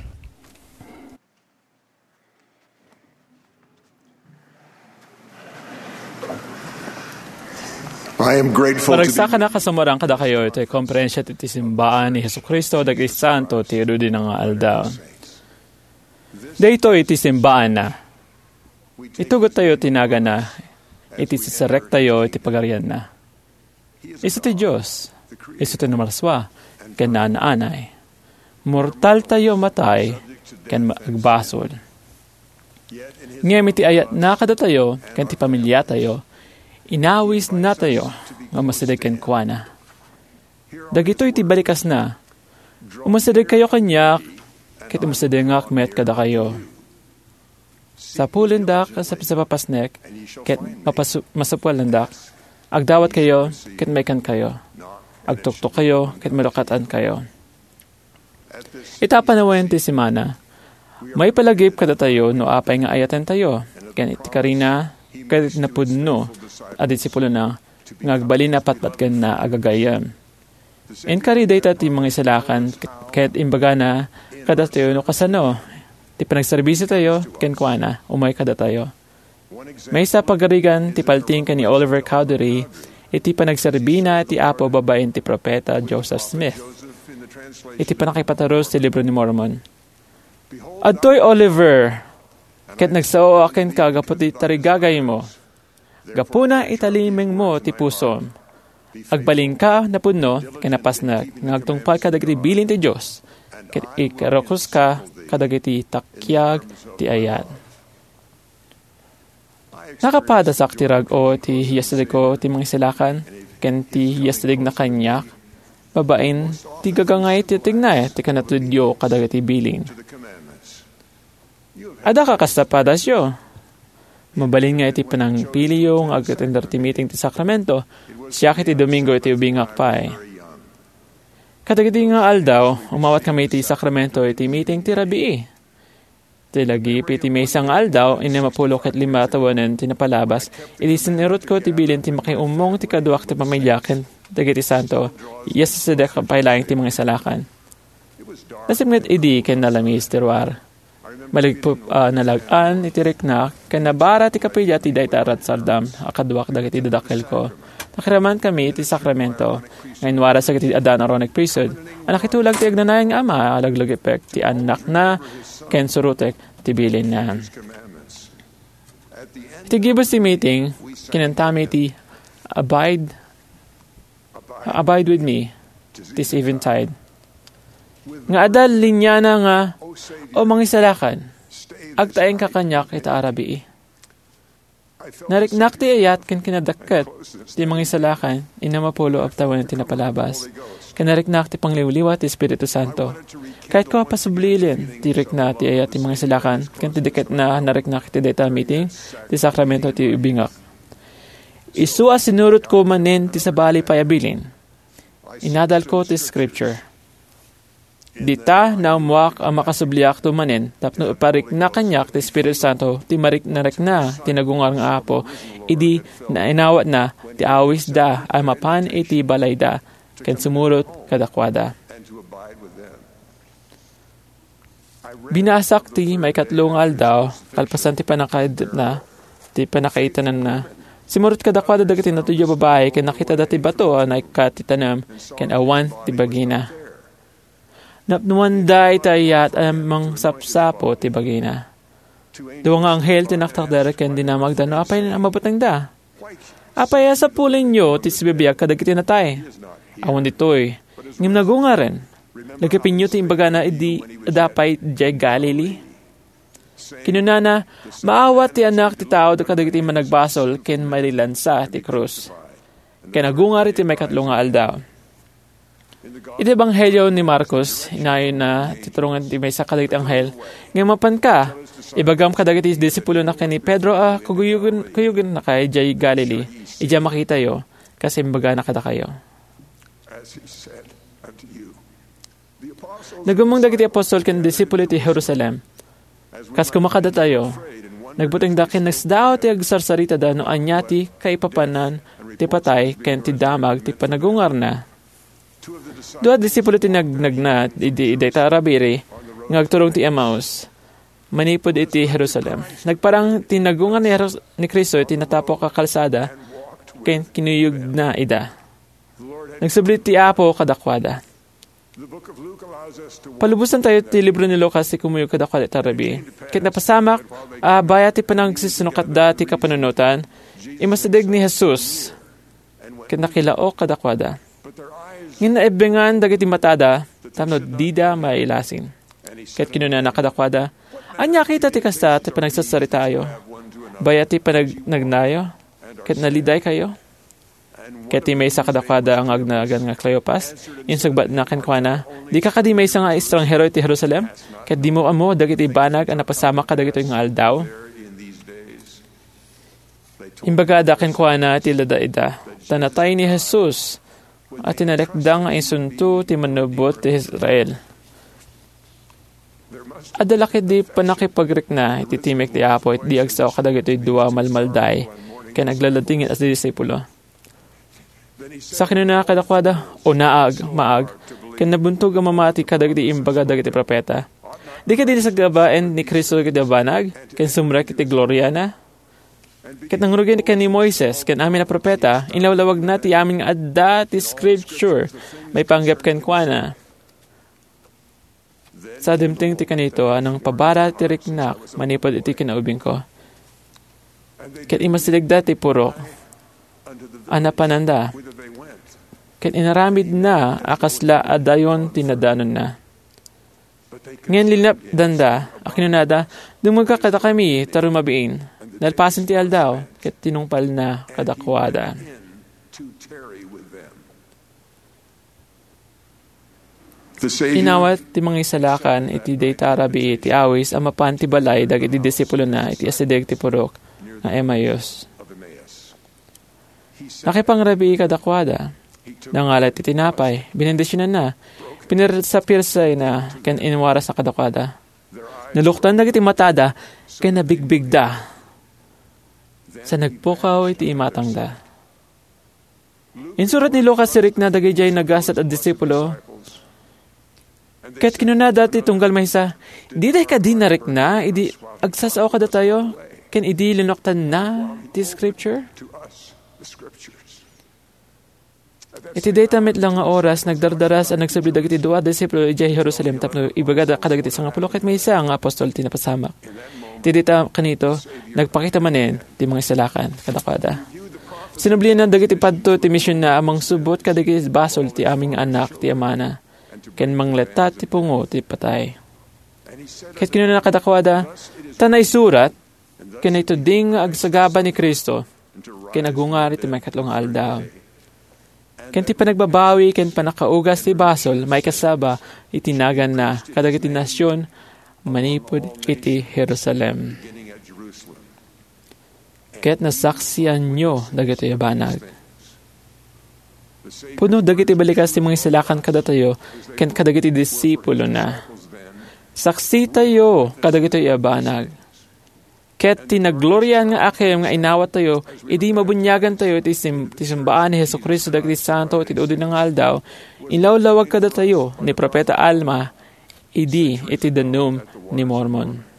I am grateful to be Maragsakan a kasumuran kadakayo iti konferensya ti, ti simbaan ni Jesu-Cristo dagiti Santo ti Rudina nga Aldaw. Daytoy iti simbaanna. Itugottayo ti nagana iti siserektayo iti pagarianna. Isu ti Dios, isu ti Namalaswa, ken naanaanay. Mortaltayo matay ken ma-, agbasol. Ngem iti ayatna kadatayo ken ti pamiliatayo, inawisnatayo nga umasideg kenkuana. Dagitoy ti balikasna. Umasidegkayo kaniak, ket umasidegak met kadakayo. Sapulendak sa, sa papasnek, ket mapasu-, masupulendak. Agdawatkayo, ket maikankayo. Agtuktokayo, ket malukat-ankayo. Ita panawen ti semana, maipalagip kadatayo no apay nga ayatentayo, ken iti karina, ket napudno a disipulona nga agbalin a patpatgenna a gagayyem. Inkari dayta ti mangisalakan, ket imbagana kadatayo no kasano ti panagserbisitayo kenkuana, umay kadatayo. Maysa a pagarigan ti paltiing ken ni Oliver Cowdery iti panagserbina ti Apo babaen ti Profeta Joseph Smith iti pannakaipaturus ti Libro ni Mormon. "Adtoy, Oliver, ket nagsaoak kenka gapu ti tarigagaymo. Gapuna, italimengmo ti pusom. Agbalinka napudno ken napasnek nga agtungpal kadagiti bilin ti Dios, ket ikarukoska kadagiti takiag ti ayat." Nakapadasak ti rag-o ti yasidegko ti mangisalakan ken ti yasidegna kaniak babaen ti gagangay ti tignay ti kinatudyo kadagiti bilin. Adda kasta padasyo. Mabalin nga iti panangpiliyo nga ag-attender ti meeting ti sakramento, siak iti Domingo iti ubingak pay. Kadagiti nga aldaw, umawat kami iti sakramento iti meeting ti rabii. Ti lagip iti maysa nga aldaw, innem a pulo ket lima a tawenan ti napalabas, idi sinurotko ti bilin ti makiummong ti kaduak ti pamilya ken dagiti santo, yasidegak pay laeng ti mangisalakan. Nasipnget idi ken nalamis ti ruar. Maligpop a nalag-an iti riknak ken nabara ti kapilya ti dayta a ratsardam a kaduak dagiti dadakkelko. Nakiraman kami iti sakramento nga inwaras dagiti addaan a runeg priesthood a nakitulag ti agnanayon nga ama a laglagipek ti annakna ken surotek ti bilinna. Iti gibus ti meeting, kinantami ti Abide, Abide with Me, this eventide. Nga adda liniana nga, "O mangisalakan, agtaengka kaniak ita a rabii." Nariknak ti ayat ken kinadakket ti mangisalakan, innem a pulo a tawen ti napalabas. Ken nariknak ti pangliwliwa ti Espiritu Santo. Kayatko a pasublilen ti rikna ti ayat ti mangisalakan, ken ti dakketna nariknak iti dayta a meeting ti sakramento ti ubingak. Isu a sinurotko manen ti sabali pay a bilin. Inadalko ti Scripture. Dita, naammoak a makasubliakto manen tapno iparikna kaniak ti Espiritu Santo ti mariknarikna ti nagungar nga Apo idi nainawatna ti awisda a mapan iti balayda ken sumurot kadakuada. Binasak ti maikatlo nga aldaw, kalpasan ti pannakaiddepna, ti pannakaitananna. Simurot kadakuada dagiti natudyo a babai ken nakitada ti bato a naikkat ti tanem ken awan ti bagina. Napnuanda iti ayat a mangsapsapo ti bagina. Dua nga anghel ti naktakder ken dinamagda no apay a mabutengda. "Apay a sapulenyo ti sibibiag kadagiti natay? Awan ditoy, ngem nagungaren. Lagipenyo ti imbagana idi adda pay idiay Galilee." Kinunana, "Maawat ti Anak ti Tao kadagiti managbasol ken mailansa ti krus." ken agungar iti maikatlo nga aldaw. Iti Ebanghelio ni Marcos, inayonna ti turongen ti maysa kadagiti anghel nga, "Mapanka, ibagam kadagiti disipulona ken ni Pedro a kuguyogen-, kuyogennaka idiay Galilee, idiay makitayo, kas imbagana kadakayo." Nagummong dagiti apostol ken disipulo iti Jerusalem. Kas koma kadatayo, nagbutengda ken nasdaaw ti agsarsaritada no ania ti kaipapanan ti patay ken ti damag ti panagungarna. Dua disipulo ti nagnagna idi dayta a rabii nga agturong ti Emmaus manipud iti Jerusalem. Nagparang ti nagungar ni Jeru-, ni Cristo iti natapok a kalsada ken kinuyogna ida. Nagsubli ti Apo kadakuada. Palubosan tayo ti libro ni Lucas ti kumuyog kadakuada ita rabii. Ket napasamak a bayat ti panagsisinungkatda ti kapanunotan, imasideg ni Jesus ket nakilaok kadakuada. Ngem naebbengan dagiti matada tapno dida mailasin. Ket kinunana kadakuada, "Ania kita ti kasta ti panagsarsaritayo? Bayat ti panagnagnayo ket nalidaykayo?" Ket ti maysa kadakuada nga agnagan nga Cleopas, insungbatna kenkuana, "Dika kadi maysa nga estranghero iti Jerusalem, ket dimo ammo dagiti banag a napasamak kadagitoy nga aldaw?" Imbagada kenkuana ti ladaida, ta natay ni Jesus a tinalekda nga isunto ti Mannubbot ti Israel. Adda la ketdi pannakipagrikna iti timek ti Apo idi agsao kadagitoy dua a malmalday ken aglaladingit a disipulo. Sa kinuna kadakuada, "Unaak, maag," ken nabuntog a mamati kadagiti imbaga dagiti profeta. Di kadi nasagabaen ni Cristo dagiti banag ken sumrek iti gloriana? Ket nangrugi ken ni Moises ken amin a profeta, inlawlawagna ti amin nga adda ti Scripture maipanggep kenkuana. Sa dimteng ti kanito a nangpabara ti riknak manipud iti kinaubingko. Ket imasidegda ti purok a napananda, ket inaramidna a kasla a dayon ti nadanonna. Ngem linapdanda a kinunada, "Dumngegka kadakami ta rumabiin." Nalpasen ti aldaw, ket tinungpalna kadakuada. Inawat ti Mangisalakan iti dayta a rabii ti awis a mapan ti balay dagiti disipulona iti asideg ti purok nga Emmaus. Nakipangrabii kadakuada. Nangala ti tinapay, binendisionanna, pinirsapirsayna, ken inwarasna kadakuada. Naluktan dagiti matada, ken nabigbigda. Sa nagpukaw iti imatangda. Insurat ni Lucas ti rikna dagidiay nagasat a disipulo. Ket kinunada ti tunggal maysa, "Diday kadi narikna idi agsasao kadatayo, ken idi linuktanna ti Scripture?" Iti dayta met la nga oras, nagdardaras a nagsubli dagiti dua a disipulo idiay Jerusalem tapno ibagada kadagiti sangapulo ket maysa nga apostol ti napasamak. Iti dayta kanito, nagpakita manen ti Mangisalakan kadakuada. Sinublianna dagiti padto ti misionna a mangsubot kadagiti basol ti amin nga annak ti amana ken mangletta ti pungo ti patay. Ket kinunana kadakuada, "Ta naisurat, ken ituding nga agsagaba ni Cristo, ken agungar iti maikatlo nga aldaw." Ken ti panagbabawi ken pannakaugas ti basol maikasaba iti naganna kadagiti nasion manipud iti Jerusalem. Ket nasaksianyo dagitoy a banag. Pudno dagiti balikas ti Mangisalakan kadatayo ken kadagiti disipulona. Saksitayo kadagitoy a banag. Ket ti nagloriaan nga akem nga inawattayo idi mabuniagantayo iti sim-, ti simbaan ni Jesu-Cristo dagiti santo iti udinan nga aldaw, inlawlawag kadatayo ni Profeta Alma idi iti danum ni Mormon.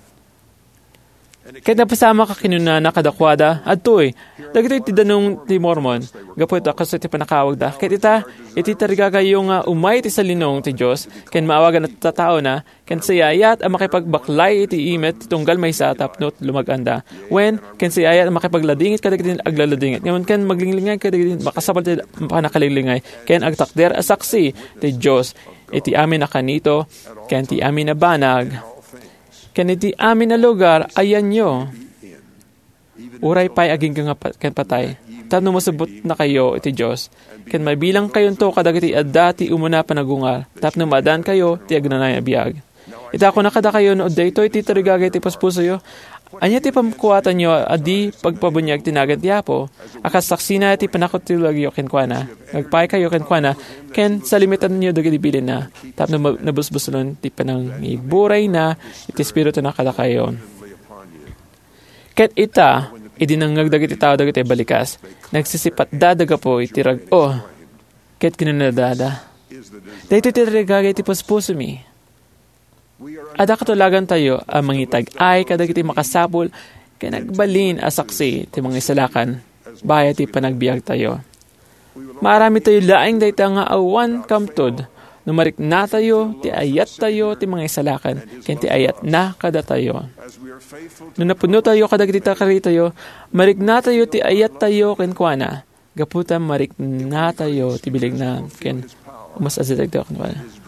Ket napasamak a kinunana kadakuada, "Adtoy, dagitoy ti danum ti Mormon, gapu ta kastoy ti pannakawagda. Ket ita, iti tarigagayo nga umay ti salinong ti Dios, ken maawagan a tataona, ken sayaat a makipagbaklay iti imet ti tunggal maysa tapno lumag-anda. Wen, ken sayaat a makipagladingit kadagiti aglaladingit. Ngem ken maglinglingaw kadagiti makasapul ti pannakalinglingay, ken agtakder a saksi ti Dios iti amin a kanito, ken ti amin a banag, ken iti amin a lugar a yanyo, uray pay agingga nga pa-, ken patay." tapno masubbotnakayo iti Dios, ken mabilangkayonto kadagiti adda ti umuna panagungar, tapno maadaankayo ti agnanayon a biag. Ita, kunak kadakayo no daytoy ti tarigagay ti puspusoyo, ania ti pamkuatanyo a di pagpabuniag ti nagan ti Apo, a kas saksina ti pannakitulagyo kenkuana, nga agpaykayo kenkuana, ken salimitanyo dagiti bilinna, tapno ma-, nabusbusolon ti panangigburayna iti Espirituna kadakayo. Ket ita, idi nangngeg dagiti tao dagiti balikas, nagsisipatda da gapu iti rag-o, ket kinunadada, "Daytoy ti tarigagay ti puspusomi." Adda katulagantayo a mangitag-ay kadagiti makasapul ken agbalin a saksi ti mangisalakan, bayat ti panagbiagtayo. Maaramidtayo laeng dayta nga awan kamtud no mariknatayo ti ayattayo ti mangisalakan ken ti ayatna kadatayo. No napudnotayo kadagiti takaritayo, mariknatayo ti ayattayo kenkuana, gapu ta mariknatayo ti bilegna ken umas-asidegtayo kenkuana.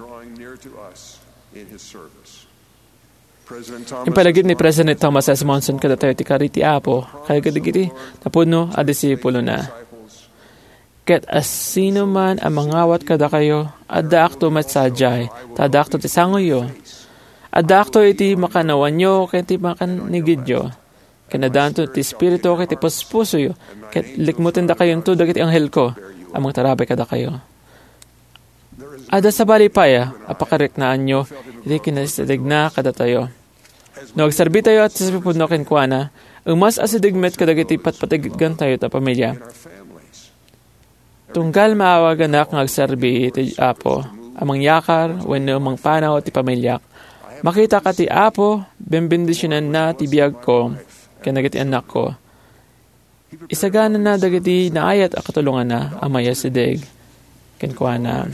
Impalagip ni President Thomas S. Monson kadatayo ti kari ti Apo kadagiti napudno a disipulona. Ket asinoman a mangawat kadakayo, addaakto met sadiay, ta addaakto ti sangoyo. Addaakto iti makanawanyo ken ti makanigidyo. Ken addaanto ti Espiritu ket ti puspusoyo, ket likmutendakayonto dagiti anghelko a mangtarabay kadakayo. Adda sabali pay a pakariknaanyo iti kinaisidegna kadatayo. No agserbitayo a ti pudno kenkuana, umas-asideg met kadagiti patpatgegantayo a pamilya. Tunggal maawaganak nga agserbi ti Apo a mangyakar wenno mangpanaw ti pamiliak, makitak a ti Apo benbendisionanna ti biagko ken dagiti annakko. Isaganana dagiti naayat a katulonganna a maiyasideg kenkuana.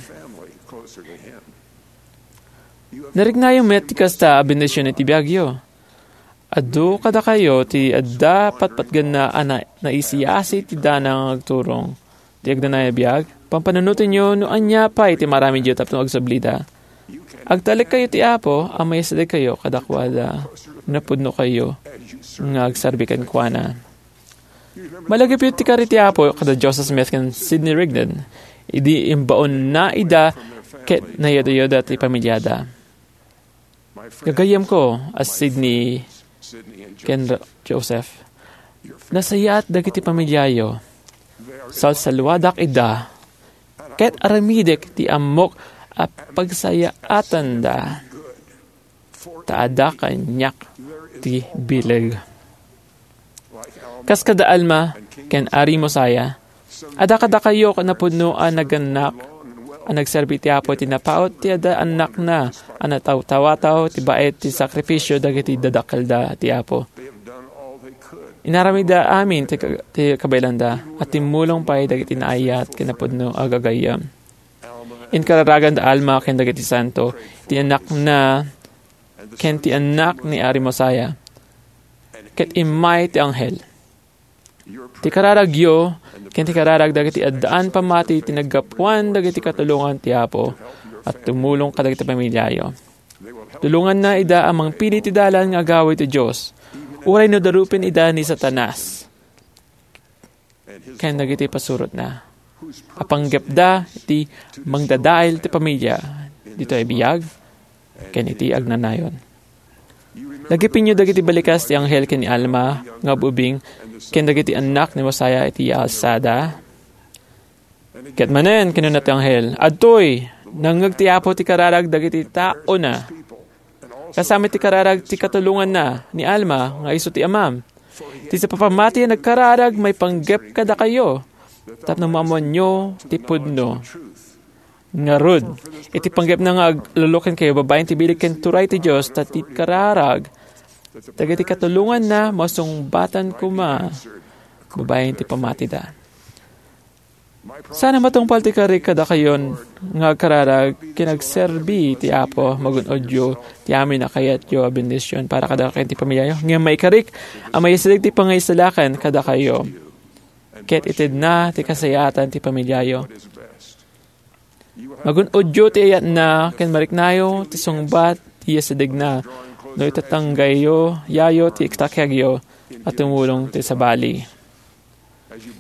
Nariknayo met ti kasta a bendision iti biagyo. Adu kadakayo ti adda patpatgenna a na-, naisiyasi ti dana nga agturong ti agnanayon a biag. Pampanunotenyo no ania pay ti maaramidyo tapno agsublida. Agtalekkayo ti Apo a maiyasidegkayo kadakuada. Napudnokayo nga agserbi kenkuana. Malagipyo ti kari ti Apo kada Joseph Smith ken Sidney Rigdon. Idi imbaonna ida ket nayudayuda ti pamiliada. Gagayyemko a Sidney ken Ra-, Joseph. Nasayaat dagiti pamiliayo. Salsaluadak ida. Ket aramidek ti ammok a pagsayaatanda. Ta adda kaniak ti bileg. Kas kada Alma ken Ari Mosiah, adda kadakayo a napudno a nagannak a nagserbi ti Apo iti napaut ti adda annakna a natawtawataw ti baet ti sakrifisio dagiti dadakkelda ti Apo. Inaramidda amin ti ka-, ti kabaelanda, a timmulong pay dagiti naayat ken napudno a gagayyem. Inkararagan da Alma ken dagiti santo ti annakna ken ti annak ni Ari Mosiah, ket immay ti anghel. Ti kararagyo ken ti kararag dagiti addaan pammati ti naggapuan dagiti katulongan ti Apo a tumulong kadagiti pamiliayo. Tulonganna ida a mangpili ti dalan nga agawid ti Dios, uray no darupen ida ni Satanas ken dagiti pasurotna a panggepda iti mangdadael ti pamilia ditoy biag ken iti agnanayon. Lagipenyo dagiti balikas ti anghel ken ni Alma nga ub-ubing ken dagiti annak ni Mosiah iti alsada. Ket manen, kinuna ti anghel, "Adtoy, nangngeg ti Apo ti kararag dagiti taona. Kasami ti kararag ti katulonganna ni Alma nga isu ti amam. Ti sa papammati a nagkararag maipanggep kadakayo, tapno maammoanyo ti pudno." Ngarud, iti panggepna nga aglulukenkayo babaen ti bileg ken turay ti Dios, ta ti kararag dagiti katulonganna masungbatan koma babaen ti pammatida. Saan a matungpal ti kari kadakayon nga agkararag ken agserbi ti Apo. Magun-odyo ti amin a kayatyo a bendision para kadakayo ken ti pamiliayo. Ngem maikarik a maiyasideg ti pangisalakan kadakayo ket itedna ti kasayaatan ti pamiliayo. Magun-odyo ti ayatna ken mariknayo ti sungbat ti iyasidegna no itatanggayo yayo ti iktakagyo a tumulong ti sabali.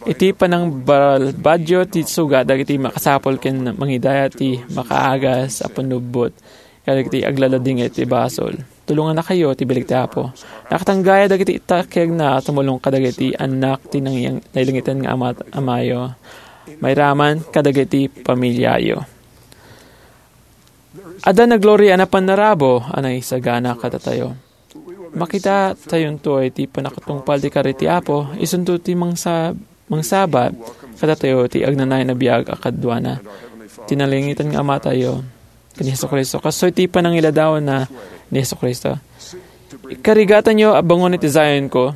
Iti panangbalbadyo ti suga dagiti makasapul ken mangidaya ti makaagas a pannubbot kadagiti aglaladingit ti basol. Tulongannakayo ti bileg ti Apo. Nakatanggaya dagiti itakegna a tumulong kadagiti annak ti nangyang-, nailangitan nga ama-, amayo. Mairaman kadagiti pamilyayo. Adda nagloria a pannarabo a naisagana kadatayo. Makita tayonto iti pannakatungpal ti kari ti Apo, isunto ti mangsa-, mangsabat kadatayo ti agnanayon a biag a kaduana ti nalangitan nga Amatayo ken ni Jesu-Cristo. Kastoy ti panangiladawna ni Jesu-Cristo. Ikarigatanyo a bangon iti Zionko,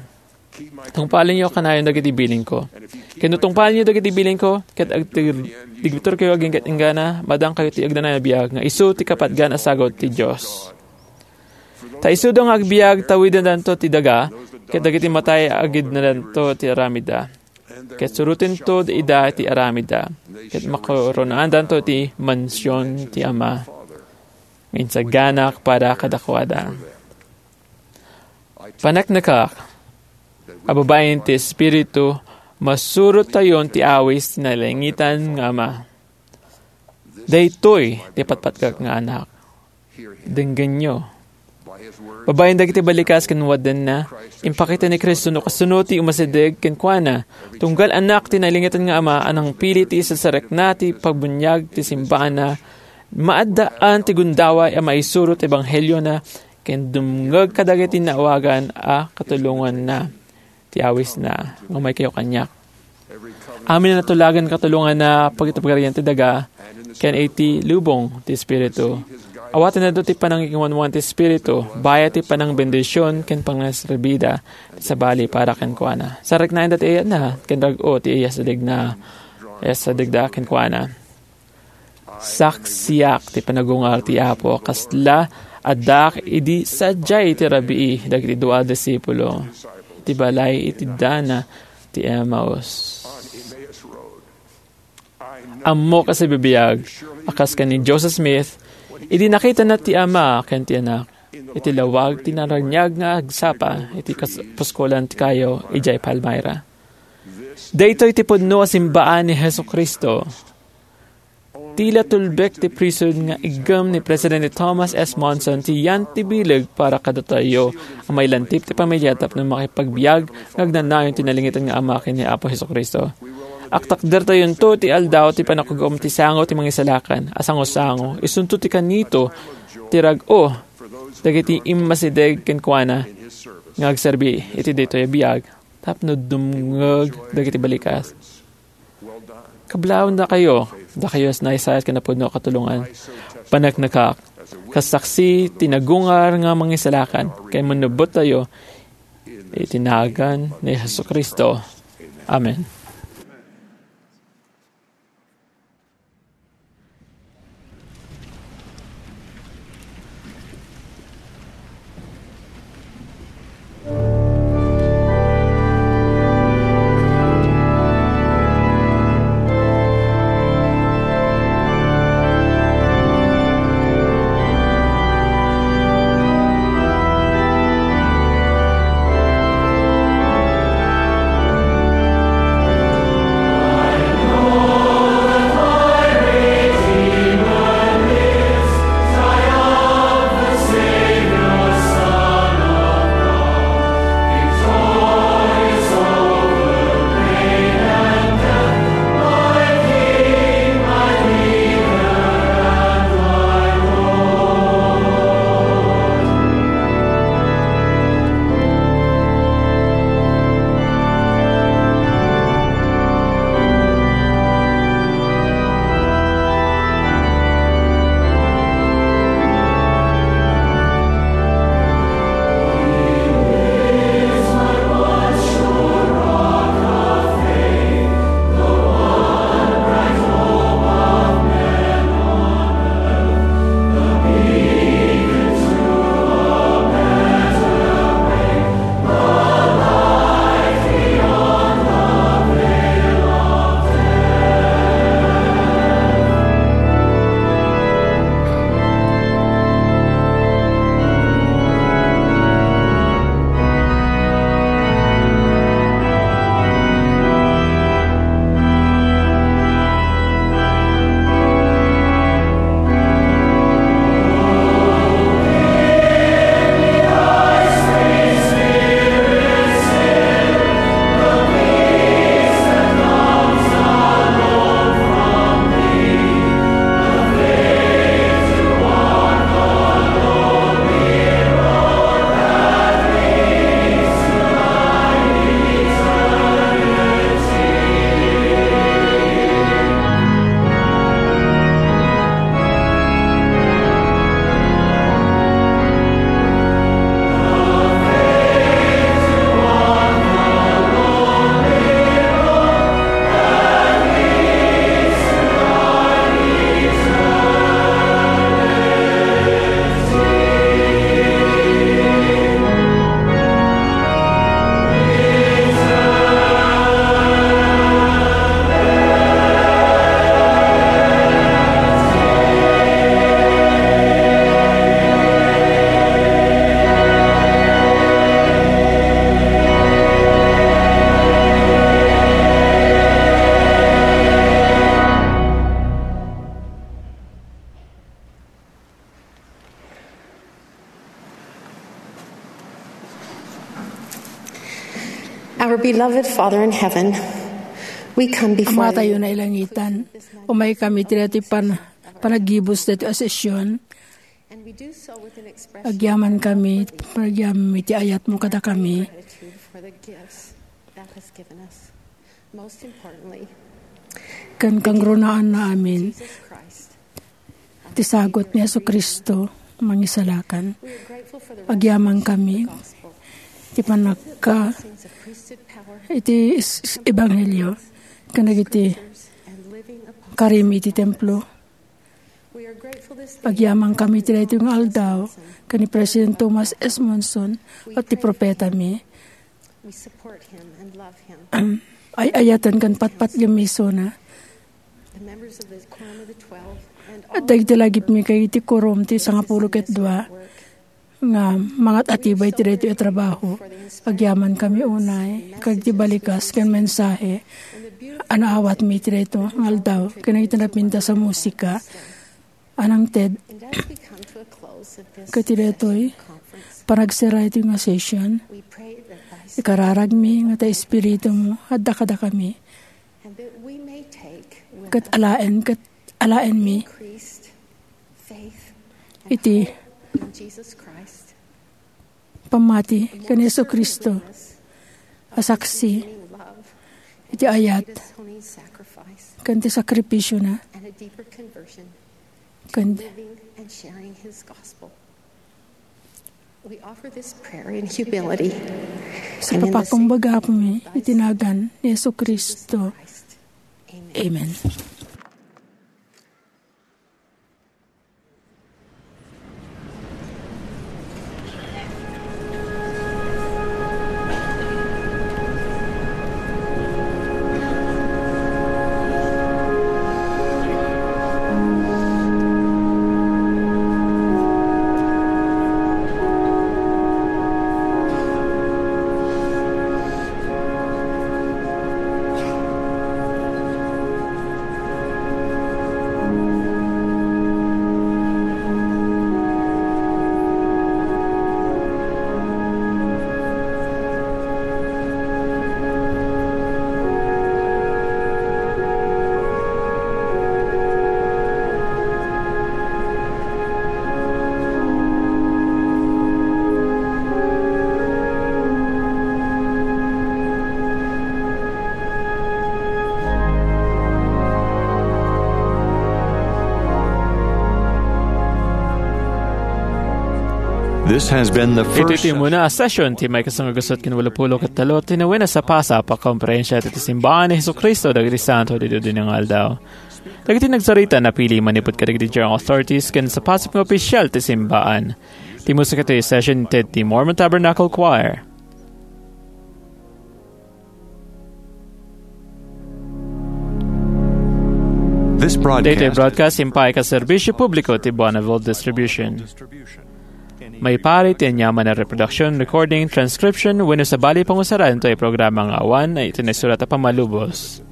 tungpalenyo kanayon dagiti bilingko. Ken no tungpalenyo dagiti bilingko, ket agtig-, digbitorkayo agingga-inggana, madangkayo ti agnanayon a biag nga isu ti kapatgan a sagut ti Dios. Ta isuda nga agbiag, tawidendanto ti daga, ket dagiti matay, agidnadanto ti aramidda. Ket surotento ida ti aramidda, ket makuronaandanto ti mansion ti Ama nga insaganak para kadakuada. Paneknekak a babaen ti Espiritu, masurottayon ti awis ti nailangitan nga Ama. Daytoy ti patpatgak nga anak. Denggenyo. Babaen dagiti balikas ken wadenna, impakita ni Cristo no kasano ti umasideg kenkuana. Tunggal anak ti nailangitan nga Ama a nangpili ti isasarekna ti pagbuniag ti simbaanna, maaddaan ti gundaway a maisuro ti ebangheliona ken dumngeg kadagiti naawagan a katulonganna ti awisna nga umaykayo kaniak. Amin a natulagan katulonganna pagitupgarian ti daga ken iti lubong ti Espiritu. Awatendanto ti panangikinwanwan ti Espiritu, bayat ti panangbendision ken panangserbida ti sabali para kenkuana. Sarreknaenda ti ayatna ken rag-o ti iyasadegna, iyasadegda kenkuana. Saksiak ti panagungar ti Apo, kasla addaak idi sadiay ti rabii dagiti dua a disipulo iti balay iti dana ti Emmaus. Ammok a sibibiag a kas ken ni Joseph Smith, idi nakitana ti Ama ken ti Anak iti lawag ti naraniag nga agsapa iti kas-, puskolan ti kayo idiay Palmyra. Daytoy ti pudno a simbaan ni Jesu-Cristo. Ti la tulbek ti prison nga iggem ni Presidente Thomas S. Monson ti yan ti bileg para kadatayo a mailantip ti pamilya tapno makipagbiag nga agnanayon ti nalangitan nga Ama ken ni Apo Jesu-Cristo. Agtakdertayonto ti aldaw ti panagum-om ti sango ti Mangisalakan a sangosango, isunto ti kanito ti rag-o dagiti immasideg kenkuana nga agserbi iti daytoy a biag tapno dumngeg dagiti balikas. Kablaawendakayo, dakayo a naisayat ken napudno a katulongan. Paneknekak, kas saksi ti nagungar nga Mangisalakan, ken mannubbottayo iti nagan ni Jesu-Cristo. Amen. Our beloved Father in heaven, we come before Amatayo you. Nailangitan, umay kami ti daytoy pan-, panagibus daytoy a session. And we do so with an expression Agyaman kami, panagyami ti ayatmo kadakami. Gratitude for the gifts thou hast given us. Most importantly, Ken kangrunaan na amin Jesus Christ, ti sagut ni Jesu-Cristo, mangisalakan. Agyaman kami ti panagka-, iti is-, is-, ebanghelio, ken dagiti karim iti templo. Agyaman kami ti daytoy nga aldaw, ken ni President Thomas S. Monson, ket ti propetami. Ay-ayaten ken patpatgem isuna. Dagiti lagipmi ken iti quorum ti sangapulo ket dua nga mangat-atibay ti daytoy a trabaho. Agyaman kami unay, ket ti balikas ken mensahe a naawatmi ti daytoy nga aldaw, ken iti napintas a musika a nangted. Ket ti daytoy, panagsera iti nga session, ikararagmi nga ta Espiritum adda kadakami. Ket alaen, ket alaenmi iti pammati ken Jesu-Cristo a saksi iti ayat ken ti sakrifisiona ken We offer this prayer in humility. Sa papakumbagami iti nagan ni Jesu-Cristo. Amen. This has been the first. Iti ti umuna a session ti maikasangagusot ken walupulo ket tallo ti nawena a pasap a konferensia ti Simbaan ni Jesu-Cristo dagiti Santo ti Dudi nga Aldaw. Dagiti nagsarita napili manipud kadagiti General Authorities ken sapasap nga opisial ti simbaan. Ti musika ti session inted ti Mormon Tabernacle Choir. This broadcast Daytoy broadcast impaay ket serbisyo publiko ti Bonneville Distribution. Maipaay ti aniaman a reproduction, recording, transcription, wenno sabali pangusaran daytoy programa nga awan iti naisurat a pammalubos.